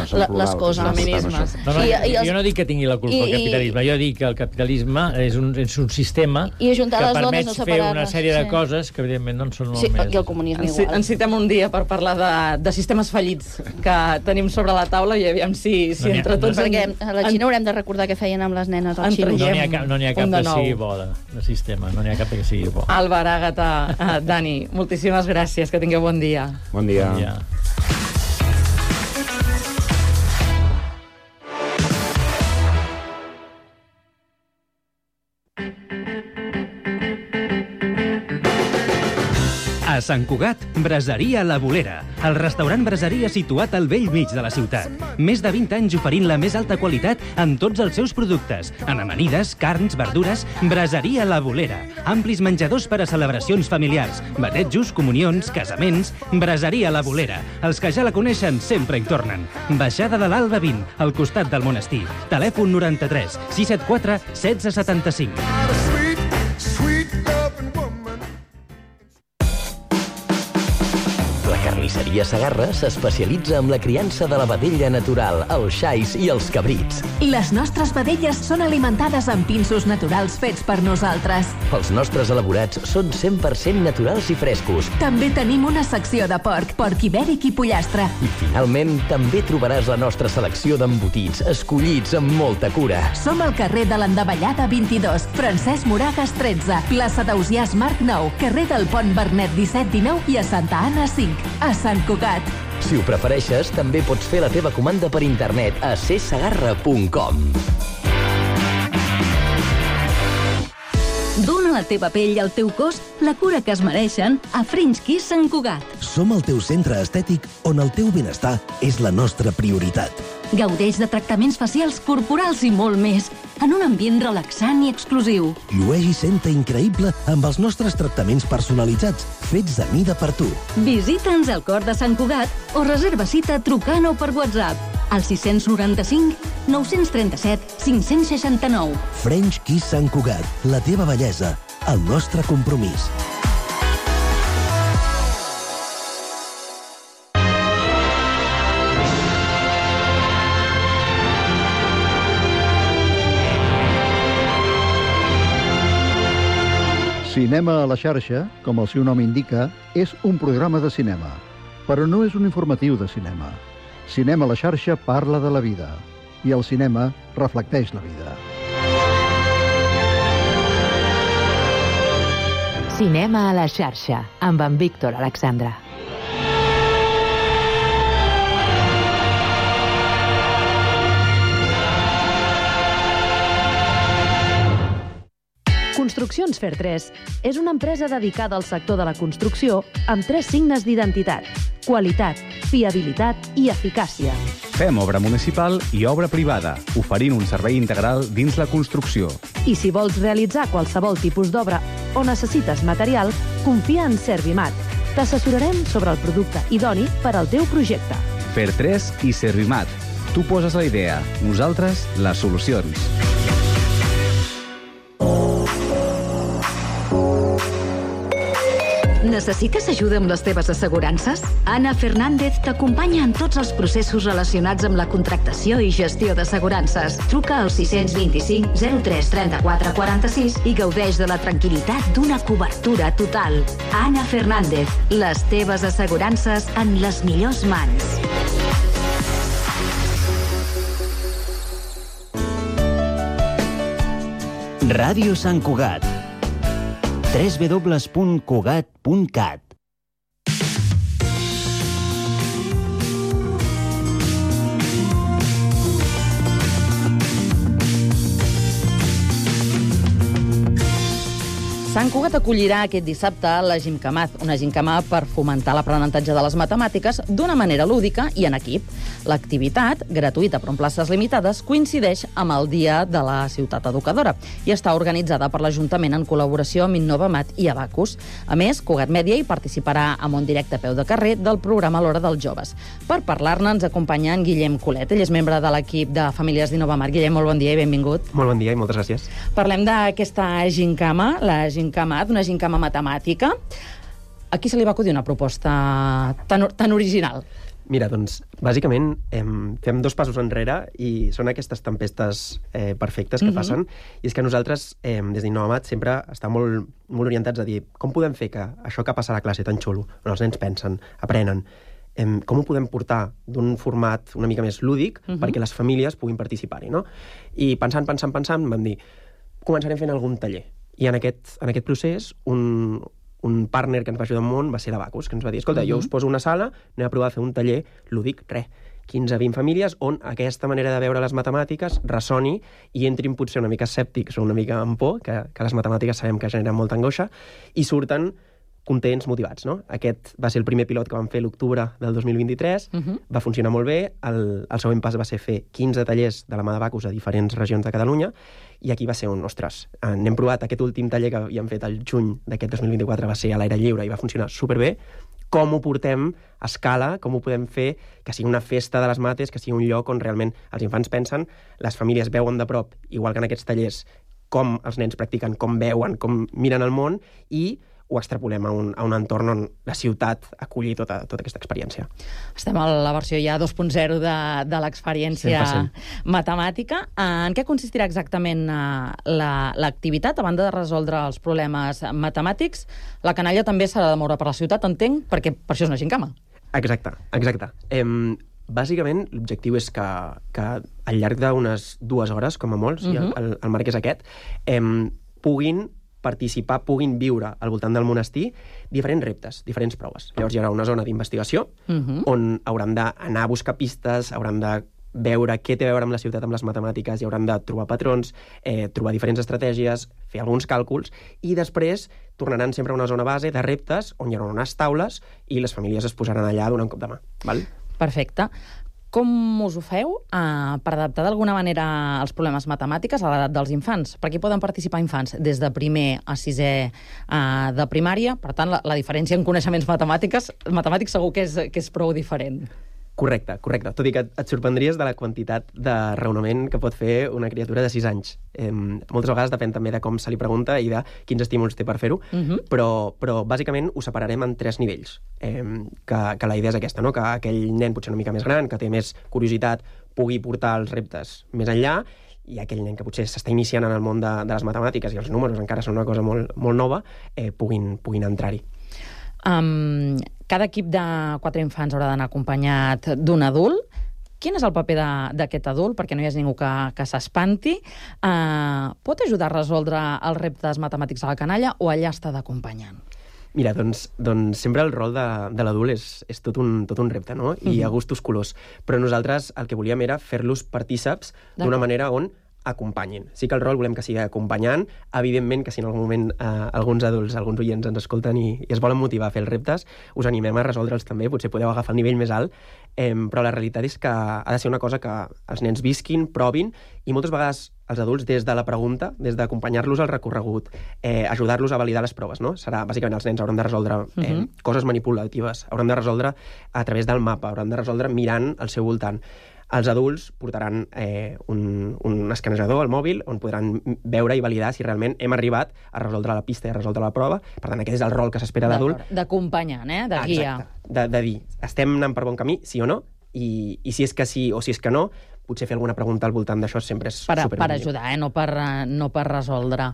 coses. Jo no dic que tingui la culpa el capitalisme, jo dic que el capitalisme és un sistema que permet fer una sèrie de coses que evidentment no en són molt més. Sí, i el comunisme igual. Ens citem un dia per parlar de sistemes fallits que tenim sobre la taula i aviam si entre tots... Perquè a la Xina haurem de recordar què feien amb les nenes al xino. No n'hi ha cap que sigui bo de sistema, no n'hi ha cap que sigui bo. Àlvar, Àgata, Dani, moltíssimes gràcies, que tingueu bon dia. Bon dia. A Sant Cugat, Braseria La Bolera, el restaurant braseria situat al bell mig de la ciutat. Més de 20 anys oferint la més alta qualitat en tots els seus productes. En amanides, carns, verdures, Braseria La Bolera. Amplis menjadors per a celebracions familiars, batejos, comunions, casaments. Braseria La Bolera. Els que ja la coneixen sempre hi tornen. Baixada de l'Alba 20, al costat del monestir. Telèfon 93 674 1675. Carnisseria Segarra s'especialitza en la criança de la vedella natural, els xais i els cabrits. Les nostres vedelles són alimentades amb pinsos naturals fets per nosaltres. Els nostres elaborats són 100% naturals i frescos. També tenim una secció de porc ibèric i pollastre. I finalment també trobaràs la nostra selecció d'embotits, escollits amb molta cura. Som al carrer de l'Endavellada 22, Francesc Moragas 13, plaça d'Ausiàs Marc 9, carrer del Pont Bernet 17-19 i a Santa Anna 5. A Sant Cugat. Si ho prefereixes, també pots fer la teva comanda per internet a csegarra.com. Dóna a la teva pell i al teu cos la cura que es mereixen a French Kiss Sant Cugat. Som el teu centre estètic on el teu benestar és la nostra prioritat. Gaudeix de tractaments facials, corporals i molt més, en un ambient relaxant i exclusiu. Llueix i senta increïble amb els nostres tractaments personalitzats, fets a mida per tu. Visita'ns al cor de Sant Cugat o reserva cita trucant o per WhatsApp al 695 937 569. French Kiss Sant Cugat, la teva bellesa, el nostre compromís. Cinema a la xarxa, com el seu nom indica, és un programa de cinema, però no és un informatiu de cinema. Cinema a la xarxa parla de la vida i el cinema reflecteix la vida. Cinema a la xarxa, amb en Víctor Alexandra. Construccions Fer 3 és una empresa dedicada al sector de la construcció amb 3 signes d'identitat: qualitat, fiabilitat i eficàcia. Fem obra municipal i obra privada, oferint un servei integral dins la construcció. I si vols realitzar qualsevol tipus d'obra o necessites material, confia en Servimat. T'assessorarem sobre el producte idoni per al teu projecte. Fer 3 i Servimat. Tu poses la idea, nosaltres les solucions. Necessites ajuda amb les teves assegurances? Ana Fernández t'acompanya en tots els processos relacionats amb la contractació i gestió d'assegurances. Truca al 625 03 34 46 i gaudeix de la tranquil·litat d'una cobertura total. Ana Fernández, les teves assegurances en les millors mans. Ràdio Sant Cugat. www.cugat.cat. Sant Cugat acollirà aquest dissabte la Gimcamat, una gimcama per fomentar l'aprenentatge de les matemàtiques d'una manera lúdica i en equip. L'activitat, gratuïta però amb places limitades, coincideix amb el Dia de la Ciutat Educadora i està organitzada per l'Ajuntament en col·laboració amb Innovamat i Abacus. A més, Cugat Mèdia hi participarà amb un directe a peu de carrer del programa L'Hora dels Joves. Per parlar-ne ens acompanya en Guillem Colet. Ell és membre de l'equip de famílies d'Innovamat. Guillem, molt bon dia i benvingut. Molt bon dia i moltes gràcies. Parlem d'aquesta gimcama, la Gimcamat, una gimcama matemàtica. A qui se li va acudir una proposta tan original? Mira, doncs, bàsicament fem 2 passos enrere i són aquestes tempestes perfectes que passen. I és que nosaltres, des d'Innovamat, sempre estem molt orientats a dir com podem fer que això que passa a la classe tan xulo, on els nens pensen, aprenen, com ho podem portar d'un format una mica més lúdic perquè les famílies puguin participar-hi, no? I pensant, vam dir, començarem fent algun taller. I en aquest procés, un partner que ens va ajudar molt va ser l'Abacus, que ens va dir, escolta, jo us poso una sala, anem a provar a fer un taller lúdic, 15-20 famílies, on aquesta manera de veure les matemàtiques ressoni i entrin potser una mica escèptics o una mica amb por, que les matemàtiques sabem que generen molta angoixa, i surten contents, motivats, no? Aquest va ser el primer pilot que vam fer l'octubre del 2023, va funcionar molt bé, el següent pas va ser fer 15 tallers de la mà d'Abacus a diferents regions de Catalunya, i aquí va ser ostres, n'hem provat aquest últim taller que havíem fet el juny d'aquest 2024, va ser a l'aire lliure i va funcionar superbé. Com ho portem a escala, com ho podem fer que sigui una festa de les mates, que sigui un lloc on realment els infants pensen, les famílies veuen de prop, igual que en aquests tallers, com els nens practiquen, com veuen, com miren el món, i ho extrapolem a un entorn on la ciutat aculli tota aquesta experiència. Estem a la versió ja 2.0 de l'experiència 100%. Matemàtica. En què consistirà exactament l'activitat? A banda de resoldre els problemes matemàtics, la canalla també s'ha de moure per la ciutat, entenc, perquè per això és una gimcama. Exacte. Bàsicament, l'objectiu és que al llarg d'unes 2 hores, com a molts, i el marc és aquest, puguin participar, puguin viure al voltant del monestir diferents reptes, diferents proves. Llavors hi haurà una zona d'investigació on hauran d'anar a buscar pistes, hauran de veure què té a veure amb la ciutat, amb les matemàtiques, i hauran de trobar patrons, trobar diferents estratègies, fer alguns càlculs, i després tornaran sempre a una zona base de reptes on hi haurà unes taules i les famílies es posaran allà donant cop de mà. Val? Perfecte. Com us ho feu per adaptar d'alguna manera els problemes matemàtics a l'edat dels infants? Perquè poden participar infants des de primer a 6è de primària, per tant, la diferència en coneixements matemàtics segur que és prou diferent. Correcte. Tot i que et sorprendries de la quantitat de raonament que pot fer una criatura de 6 anys. Moltes vegades depèn també de com se li pregunta i de quins estímuls té per fer-ho, però bàsicament ho separarem en 3 nivells. Que la idea és aquesta, no? Que aquell nen potser una mica més gran, que té més curiositat, pugui portar els reptes més enllà, i aquell nen que potser s'està iniciant en el món de les matemàtiques i els números encara són una cosa molt nova, puguin entrar-hi. Cada equip de 4 infants haurà d'anar acompanyat d'un adult. Quin és el paper d'aquest adult, perquè no hi hagi ningú que s'espanti? Pot ajudar a resoldre els reptes matemàtics a la canalla o allà està d'acompanyant? Mira, doncs sempre el rol de l'adult és tot un repte, no? I a gustos colors. Però nosaltres el que volíem era fer-los partíceps d'una manera on acompanyin. Sí que el rol volem que sigui acompanyant. Evidentment que si en algun moment alguns adults, alguns oients ens escolten i es volen motivar a fer els reptes, us animem a resoldre'ls també. Potser podeu agafar el nivell més alt, però la realitat és que ha de ser una cosa que els nens visquin, provin, i moltes vegades els adults, des de la pregunta, des d'acompanyar-los al recorregut, ajudar-los a validar les proves, no? Serà, bàsicament, els nens hauran de resoldre coses manipulatives, hauran de resoldre a través del mapa, hauran de resoldre mirant al seu voltant. Els adults portaran un escanejador al mòbil on podran veure i validar si realment hem arribat a resoldre la pista i a resoldre la prova. Per tant, aquest és el rol que s'espera d'adult. D'acompanyar, de guiar. Exacte, de dir, estem anant per bon camí, sí o no? I si és que sí o si és que no, potser fer alguna pregunta al voltant d'això sempre és superbenvingut. Per ajudar, no per resoldre.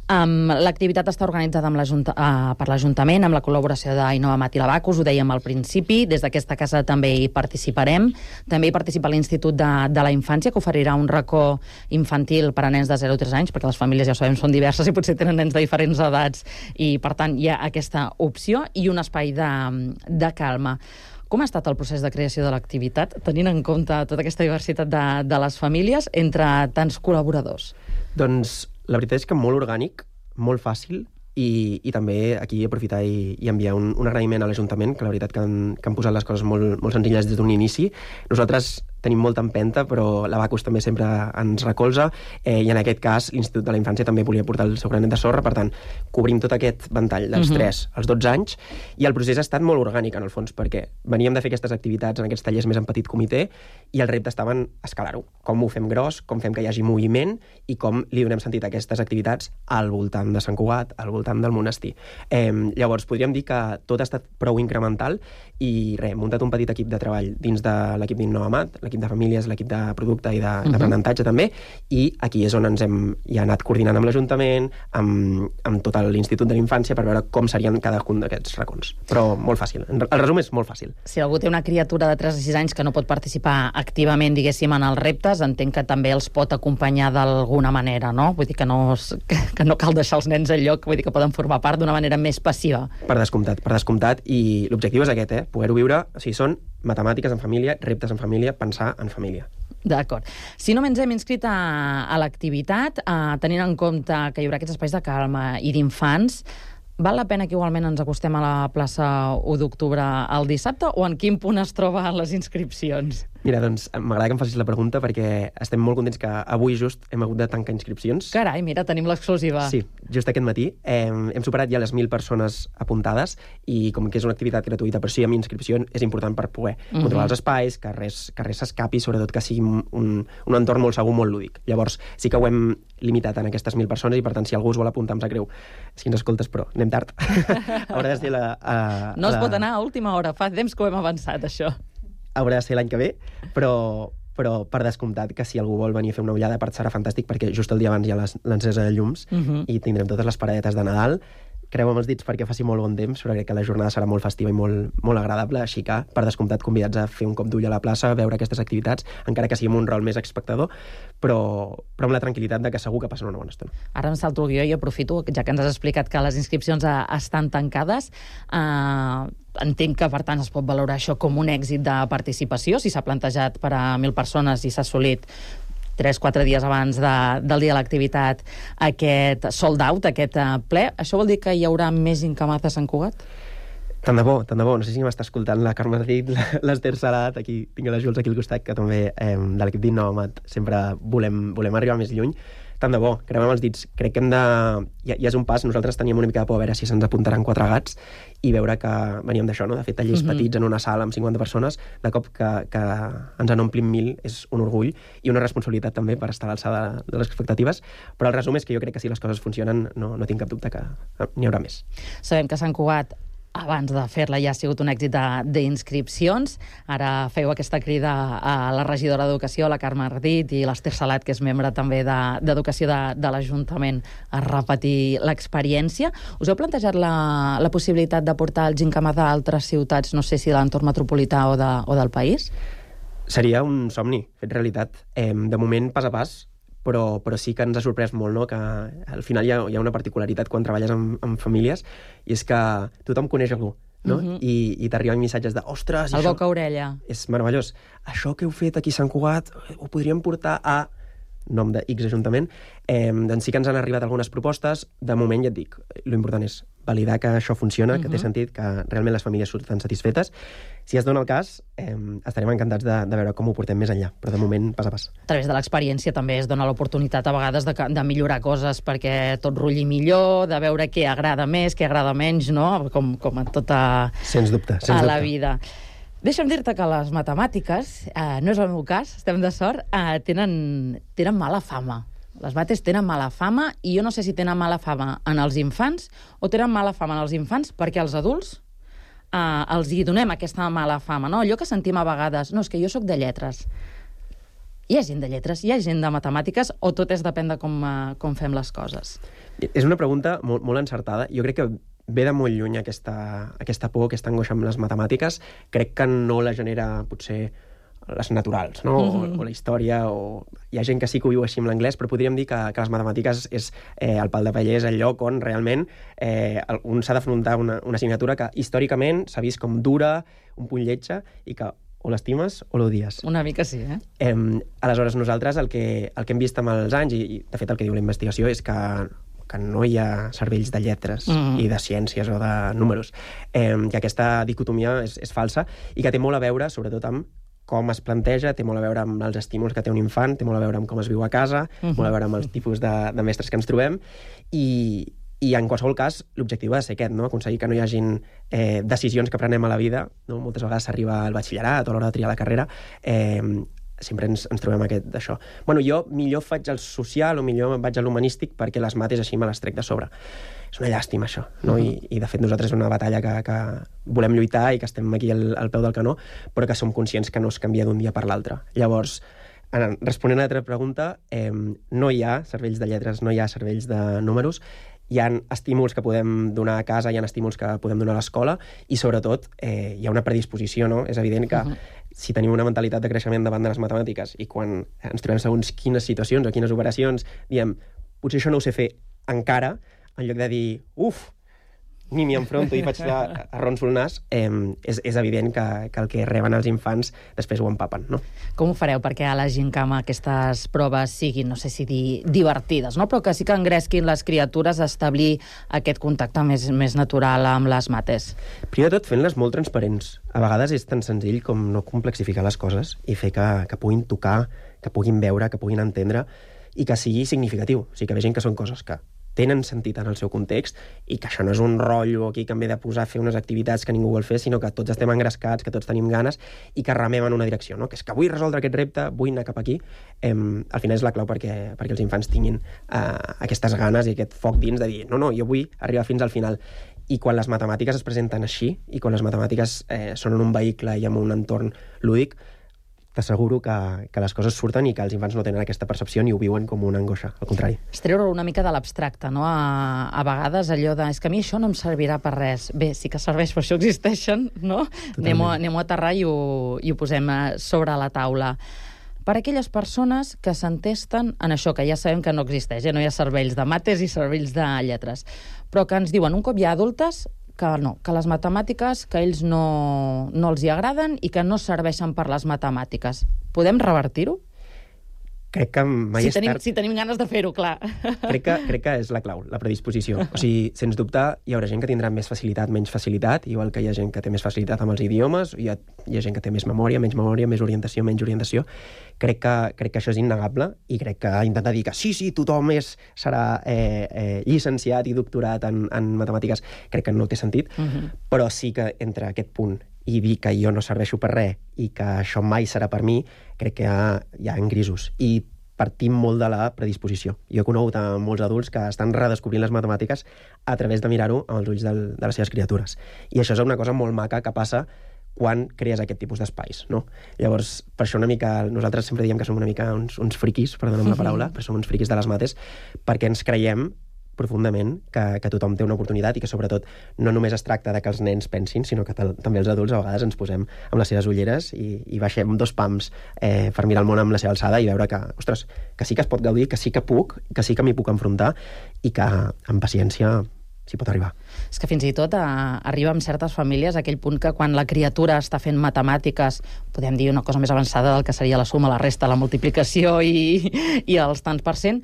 L'activitat està organitzada per l'Ajuntament, amb la col·laboració d'Innovamat i l'Abacus, ho dèiem al principi. Des d'aquesta casa també hi participarem. També hi participa l'Institut de la Infància, que oferirà un racó infantil per a nens de 0 a 3 anys, perquè les famílies, ja ho sabem, són diverses i potser tenen nens de diferents edats, i per tant hi ha aquesta opció, i un espai de calma. Com ha estat el procés de creació de l'activitat, tenint en compte tota aquesta diversitat de les famílies entre tants col·laboradors? Doncs la veritat és que molt orgànic, molt fàcil, i també aquí aprofitar i enviar un agraïment a l'Ajuntament, que la veritat que han posat les coses molt senzilles des d'un inici. Nosaltres tenim molta empenta, però l'Abacus també sempre ens recolza, i en aquest cas l'Institut de la Infància també volia portar el seu granet de sorra, per tant, cobrim tot aquest ventall dels 3 als 12 anys, i el procés ha estat molt orgànic, en el fons, perquè veníem de fer aquestes activitats en aquests tallers més en petit comitè, i el repte estava en escalar-ho. Com ho fem gros, com fem que hi hagi moviment, i com li donem sentit a aquestes activitats al voltant de Sant Cugat, al voltant del monestir. Llavors, podríem dir que tot ha estat prou incremental, i hem muntat un petit equip de treball dins de l'equip d'Innovamat, l'equip de famílies, l'equip de producte i d'aprenentatge també, i aquí és on ens hem anat coordinant amb l'Ajuntament, amb tot l'Institut de la Infància, per veure com serien cadascun d'aquests racons. Però molt fàcil. El resum és molt fàcil. Si algú té una criatura de 3 a 6 anys que no pot participar activament, diguéssim, en els reptes, entenc que també els pot acompanyar d'alguna manera, no? Vull dir que no cal deixar els nens al lloc, vull dir que poden formar part d'una manera més passiva. Per descomptat, i l'objectiu és aquest, poder-ho viure, o sigui, són matemàtiques en família, reptes en família, pensar en família. D'acord. Si no ens hem inscrit a l'activitat, tenint en compte que hi haurà aquests espais de calma i d'infants, val la pena que igualment ens acostem a la plaça 1 d'octubre el dissabte, o en quin punt es troben les inscripcions? Mira, doncs m'agrada que em facis la pregunta perquè estem molt contents que avui just hem hagut de tancar inscripcions. Carai, mira, tenim l'exclusiva. Sí, just aquest matí. Hem superat ja les 1.000 persones apuntades, i com que és una activitat gratuïta, però sí amb inscripció, és important per poder controlar els espais, que res s'escapi, sobretot que sigui un entorn molt segur, molt lúdic. Llavors, sí que ho hem limitat en aquestes 1.000 persones, i per tant, si algú es vol apuntar, em sap greu. Si ens escoltes, però anem tard. Haurà de ser no es pot anar a última hora, fa temps que ho hem avançat, això. Haurà de ser l'any que ve, però per descomptat que si algú vol venir a fer una ullada, part serà fantàstic, perquè just el dia abans hi ha l'encesa de llums, i tindrem totes les paradetes de Nadal. Creu amb els dits perquè faci molt bon temps, però crec que la jornada serà molt festiva i molt agradable, així que, per descomptat, convidats a fer un cop d'ull a la plaça, a veure aquestes activitats, encara que sigui amb un rol més espectador, però amb la tranquil·litat de que segur que passen una bona estona. Ara em salto el guió i aprofito, ja que ens has explicat que les inscripcions estan tancades, entenc que, per tant, es pot valorar això com un èxit de participació, si s'ha plantejat per a 1.000 persones i s'ha assolit 3-4 dies abans del dia de l'activitat aquest sold out, aquest ple. Això vol dir que hi haurà més Incamat a Sant Cugat? Tant de bo. No sé si m'està escoltant la Carme Ardit, l'Ester Salat, aquí tinc la Jules aquí al costat, que també de l'equip d'Innovamat sempre volem arribar més lluny. Tant de bo, cremem els dits. Crec que hem de... Ja és un pas, nosaltres teníem una mica de por a veure si se'ns apuntaran 4 gats i veure que veníem d'això, no? De fer tallers petits en una sala amb 50 persones, de cop que ens en omplim 1.000 és un orgull i una responsabilitat també per estar a l'alçada de les expectatives, però el resum és que jo crec que si les coses funcionen no tinc cap dubte que n'hi haurà més. Sabem que Sant Cugat abans de fer-la ja ha sigut un èxit d'inscripcions. Ara feu aquesta crida a la regidora d'Educació, la Carme Ardit, i l'Ester Salat, que és membre també d'Educació de l'Ajuntament, a repetir l'experiència. Us heu plantejat la possibilitat de portar el Gincama d'altres ciutats, no sé si de l'entorn metropolità o del país? Seria un somni fet realitat. De moment, pas a pas, però sí que ens ha sorprès molt, no? Que al final hi ha una particularitat quan treballes amb famílies, i és que tothom coneix algú, no? I t'arriben missatges de ostres... El boca a orella. És meravellós. Això que heu fet aquí a Sant Cugat ho podríem portar a nom de X Ajuntament. Doncs sí que ens han arribat algunes propostes. De moment, ja et dic, l'important és validar que això funciona, que té sentit, que realment les famílies surten satisfetes. Si es dona el cas, estarem encantats de veure com ho portem més enllà, però de moment, pas a pas. A través de l'experiència també es dona l'oportunitat a vegades de millorar coses perquè tot rulli millor, de veure què agrada més, què agrada menys, no? Com a tota... Sens dubte. A la vida. Deixa'm dir-te que les matemàtiques, no és el meu cas, estem de sort, tenen mala fama. Les mates tenen mala fama, i jo no sé si tenen mala fama en els infants o tenen mala fama en els infants perquè els adults els hi donem aquesta mala fama, no? Allò que sentim a vegades, no, és que jo sóc de lletres. Hi ha gent de lletres, hi ha gent de matemàtiques, o tot depèn de com fem les coses? És una pregunta molt encertada. Jo crec que ve de molt lluny aquesta por, aquesta angoixa amb les matemàtiques. Crec que no la genera, potser, les naturals, no? O la història, o... Hi ha gent que sí que ho viu així amb l'anglès, però podríem dir que les matemàtiques és el pal de paller, és el lloc on realment un s'ha d'afrontar una assignatura que històricament s'ha vist com dura, un punt lletja, i que o l'estimes o l'odies. Una mica sí, Aleshores, nosaltres el que hem vist amb els anys, i de fet el que diu la investigació, és que no hi ha cervells de lletres i de ciències o de números, que aquesta dicotomia és falsa, i que té molt a veure, sobretot, amb com es planteja, té molt a veure amb els estímuls que té un infant, té molt a veure amb com es viu a casa, molt a veure amb els tipus de mestres que ens trobem, i en qualsevol cas l'objectiu ha de ser aquest, no? Aconseguir que no hi hagin decisions que prenem a la vida, no? Moltes vegades s'arriba al batxillerat o a l'hora de triar la carrera, sempre ens trobem d'això. Bueno, jo millor faig el social o millor vaig a l'humanístic perquè les mates així me les trec de sobre. És una llàstima, això, no? I de fet nosaltres és una batalla que volem lluitar i que estem aquí al peu del canó, però que som conscients que no es canvia d'un dia per l'altre. Llavors, responent a l'altra pregunta, no hi ha cervells de lletres, no hi ha cervells de números, hi ha estímuls que podem donar a casa, hi ha estímuls que podem donar a l'escola, i sobretot hi ha una predisposició, no? És evident que si tenim una mentalitat de creixement davant de les matemàtiques i quan ens trobem segons quines situacions o quines operacions diem, potser això no ho sé fer encara, en lloc de dir, ni m'hi enfronto i faig arronso el nas, és evident que el que reben els infants després ho empapen, no? Com ho fareu perquè a la Gimcama aquestes proves siguin, no sé si dir divertides, no? Però que sí que engresquin les criatures a establir aquest contacte més natural amb les mates? Primer de tot, fent-les molt transparents. A vegades és tan senzill com no complexificar les coses i fer que puguin tocar, que puguin veure, que puguin entendre, i que sigui significatiu. O sigui, que vegin que són coses que tenen sentit en el seu context i que això no és un rotllo aquí que em ve de posar a fer unes activitats que ningú vol fer, sinó que tots estem engrescats, que tots tenim ganes i que remem en una direcció, no? Que és que vull resoldre aquest repte, vull anar cap aquí. Al final és la clau perquè els infants tinguin aquestes ganes i aquest foc dins de dir no, jo vull arribar fins al final. I quan les matemàtiques es presenten així i quan les matemàtiques són en un vehicle i en un entorn lúdic, t'asseguro que les coses surten i que els infants no tenen aquesta percepció ni ho viuen com una angoixa, al contrari. És treure una mica de l'abstracte, no? A vegades allò de, és que a mi això no em servirà per res. Bé, sí que serveix, per això existeixen, no? Anem-ho a aterrar i ho posem sobre la taula. Per aquelles persones que s'entesten en això, que ja sabem que no existeix, no hi ha cervells de mates i cervells de lletres, però que ens diuen, un cop hi ha adultes, que no, que les matemàtiques, que ells no els hi agraden i que no serveixen per les matemàtiques. Podem revertir-ho? Crec que mai és tard. Si tenim ganes de fer-ho, clar. Crec que és la clau, la predisposició. O sigui, sens dubte, hi haurà gent que tindrà més facilitat, menys facilitat, igual que hi ha gent que té més facilitat amb els idiomes, hi ha gent que té més memòria, menys orientació, menys orientació. Crec que això és innegable i crec que intentar dir que sí, tothom serà llicenciat i doctorat en matemàtiques, crec que no té sentit, però sí que entre aquest punt i dir que jo no serveixo per res i que això mai serà per mi, crec que hi ha grisos. I partim molt de la predisposició. Jo he conegut a molts adults que estan redescobrint les matemàtiques a través de mirar-ho amb els ulls de les seves criatures. I això és una cosa molt maca que passa quan crees aquest tipus d'espais, no? Llavors, per això una mica, nosaltres sempre diem que som una mica uns friquis, perdona'm la paraula, però som uns friquis de les mates, perquè ens creiem profundament que tothom té una oportunitat i que sobretot no només es tracta de que els nens pensin, sinó que també els adults a vegades ens posem amb les seves ulleres i baixem 2 pams per mirar el món amb la seva alçada i veure que, ostres, que sí que es pot gaudir, que sí que puc, que sí que m'hi puc enfrontar i que amb paciència s'hi pot arribar. És que fins i tot arriba en certes famílies aquell punt que quan la criatura està fent matemàtiques, podem dir una cosa més avançada del que seria la suma, la resta, la multiplicació i els tants per cent,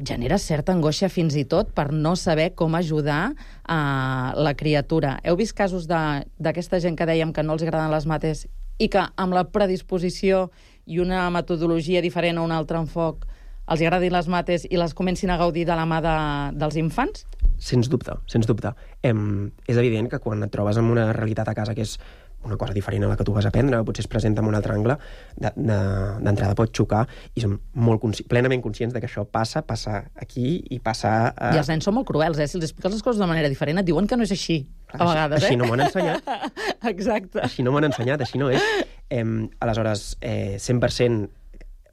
genera certa angoixa fins i tot per no saber com ajudar la criatura. Heu vist casos d'aquesta gent que dèiem que no els agraden les mates i que amb la predisposició i una metodologia diferent o un altre enfoc els agradin les mates i les comencin a gaudir de la mà dels infants? Sens dubte, sens dubte. És evident que quan et trobes amb una realitat a casa que és una cosa diferent a la que tu vas aprendre, potser es presenta en un altre angle, d'entrada pot xocar, i som plenament conscients de que això passa aquí i passa... I els nens són molt cruels, si els expliques les coses de manera diferent et diuen que no és així, a vegades. Així no m'ho han ensenyat. Exacte. Així no m'ho han ensenyat, així no és. Aleshores, 100%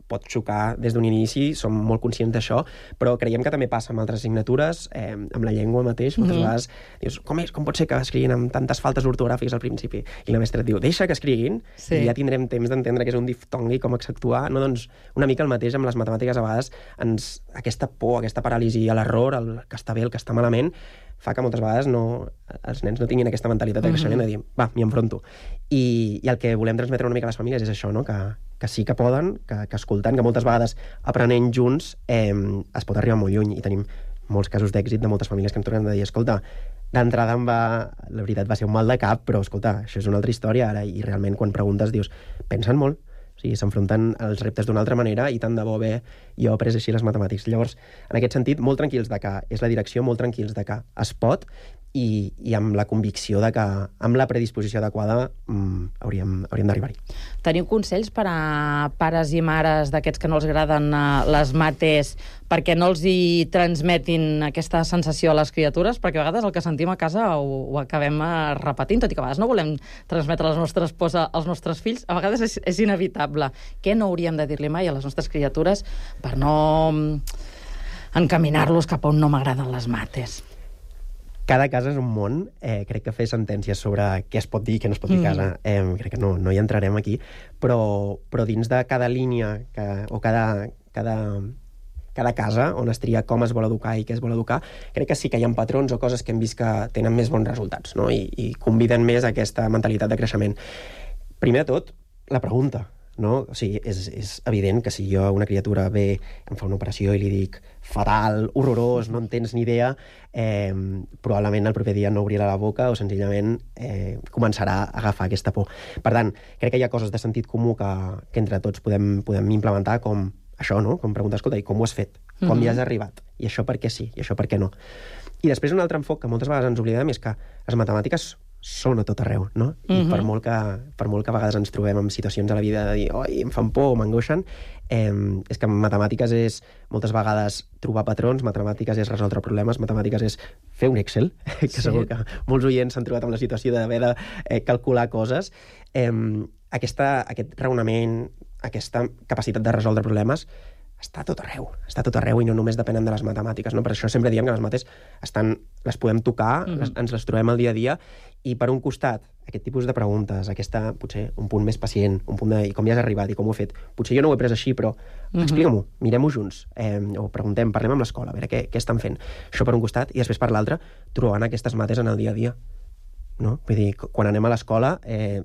pot xocar des d'un inici, som molt conscients d'això, però creiem que també passa amb altres assignatures, amb la llengua mateix, moltes vegades dius, com pot ser que escriguin amb tantes faltes ortogràfiques al principi? I la mestra et diu, deixa que escriguin, i ja tindrem temps d'entendre què és un diftongi, com accentuar. No, doncs, una mica el mateix amb les matemàtiques, a vegades aquesta por, aquesta paràlisi a l'error, el que està bé, el que està malament, fa que moltes vegades els nens no tinguin aquesta mentalitat de creixement de dir, va, m'hi enfronto. I el que volem transmetre una mica a les famílies és això, no? Que sí que poden, que escoltant, que moltes vegades aprenent junts es pot arribar molt lluny, i tenim molts casos d'èxit de moltes famílies que ens tornen a dir, escolta, d'entrada la veritat va ser un mal de cap, però escolta, això és una altra història ara, i realment quan preguntes dius, pensen molt, o sigui, s'enfronten als reptes d'una altra manera, i tant de bo bé jo he après així les matemàtiques. Llavors, en aquest sentit, molt tranquils de que és la direcció, molt tranquils de que es pot, i amb la convicció de que amb la predisposició adequada hauríem d'arribar-hi. Teniu consells per a pares i mares d'aquests que no els agraden les mates perquè no els hi transmetin aquesta sensació a les criatures? Perquè a vegades el que sentim a casa ho acabem repetint, tot i que a vegades no volem transmetre les nostres pors als nostres fills. A vegades és inevitable. Què no hauríem de dir-li mai a les nostres criatures per no encaminar-los cap a on no m'agraden les mates? Cada casa és un món. Crec que fer sentències sobre què es pot dir i què no es pot dir a casa, crec que no hi entrarem aquí, però dins de cada línia o cada casa on es tria com es vol educar i què es vol educar, crec que sí que hi ha patrons o coses que hem vist que tenen més bons resultats, no? I conviden més a aquesta mentalitat de creixement. Primer de tot, la pregunta. No? O sigui, és evident que si jo a una criatura ve, em fa una operació i li dic fatal, horrorós, no en tens ni idea, probablement el proper dia no obrirà la boca o senzillament començarà a agafar aquesta por. Per tant, crec que hi ha coses de sentit comú que entre tots podem implementar, com això, no? Com preguntar, escolta, i com ho has fet? Com hi has arribat? I això per què sí? I això per què no? I després un altre enfoc que moltes vegades ens oblidem és que les matemàtiques són a tot arreu, no? I per molt que a vegades ens trobem en situacions a la vida de dir, oi, em fan por o m'angoixen, és que matemàtiques és moltes vegades trobar patrons, matemàtiques és resoldre problemes, matemàtiques és fer un Excel, que segur que molts oients s'han trobat amb la situació d'haver de calcular coses. Aquest raonament, aquesta capacitat de resoldre problemes està a tot arreu i no només depenen de les matemàtiques, no? Per això sempre diem que les mates les podem tocar, ens les trobem al dia a dia, i per un costat, aquest tipus de preguntes, potser un punt més pacient, un punt de com hi has arribat i com ho he fet. Potser jo no ho he pres així, però explica-m'ho, mirem-ho junts, o preguntem, parlem amb l'escola, a veure què estan fent. Això per un costat, i després per l'altre, trobant aquestes mates en el dia a dia. No? Vull dir, quan anem a l'escola,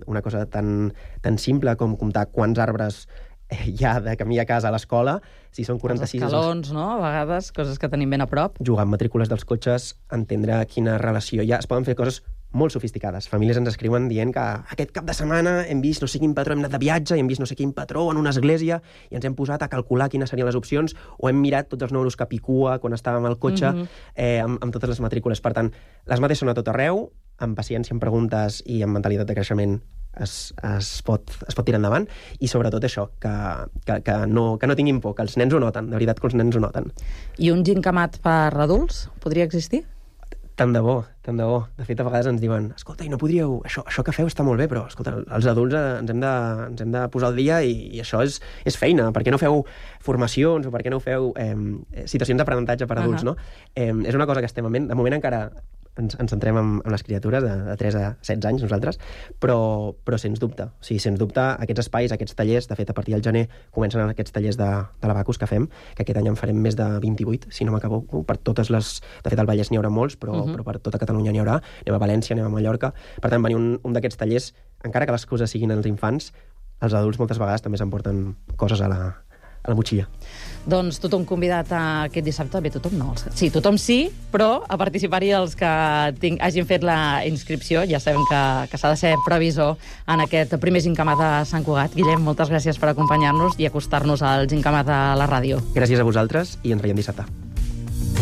una cosa tan simple com comptar quants arbres hi ha de camí a casa a l'escola, si són 46... Els escalons, no? A vegades, coses que tenim ben a prop. Jugar amb matrícules dels cotxes, entendre quina relació hi ha. Es poden fer coses molt sofisticades. Famílies ens escriuen dient que aquest cap de setmana hem vist no sé quin patró, hem anat de viatge i hem vist no sé quin patró en una església i ens hem posat a calcular quines serien les opcions, o hem mirat tots els números Capicua quan estàvem al cotxe amb totes les matrícules. Per tant, les mates són a tot arreu, amb paciència, amb preguntes i amb mentalitat de creixement es pot tirar endavant, i sobretot això, que no tinguin por, que els nens ho noten, de veritat que els nens ho noten. I un gincamat per adults podria existir? Tant de bo, tant de bo. De fet, a vegades ens diuen, escolta, i no podríeu... Això que feu està molt bé, però, escolta, els adults ens hem de posar al dia i això és feina. Per què no feu formacions o per què no feu situacions d'aprenentatge per adults, no? És una cosa que estem en ment. De moment encara ens centrem en les criatures de 3 a 16 anys, nosaltres, però sens dubte. O sigui, sens dubte, aquests espais, aquests tallers, de fet, a partir del gener comencen aquests tallers de l'Abacus que fem, que aquest any en farem més de 28, si no m'equivoco, per totes les... De fet, al Vallès n'hi haurà molts, però per tota Catalunya n'hi haurà. Anem a València, anem a Mallorca. Per tant, venir un d'aquests tallers, encara que les coses siguin els infants, els adults moltes vegades també s'emporten coses a la motxilla. Doncs tothom convidat a aquest dissabte. Bé, tothom no. Sí, tothom sí, però a participar-hi els que hagin fet la inscripció. Ja sabem que s'ha de ser previsor en aquest primer Gincamat de Sant Cugat. Guillem, moltes gràcies per acompanyar-nos i acostar-nos al Gincamat a la ràdio. Gràcies a vosaltres i ens veiem dissabte.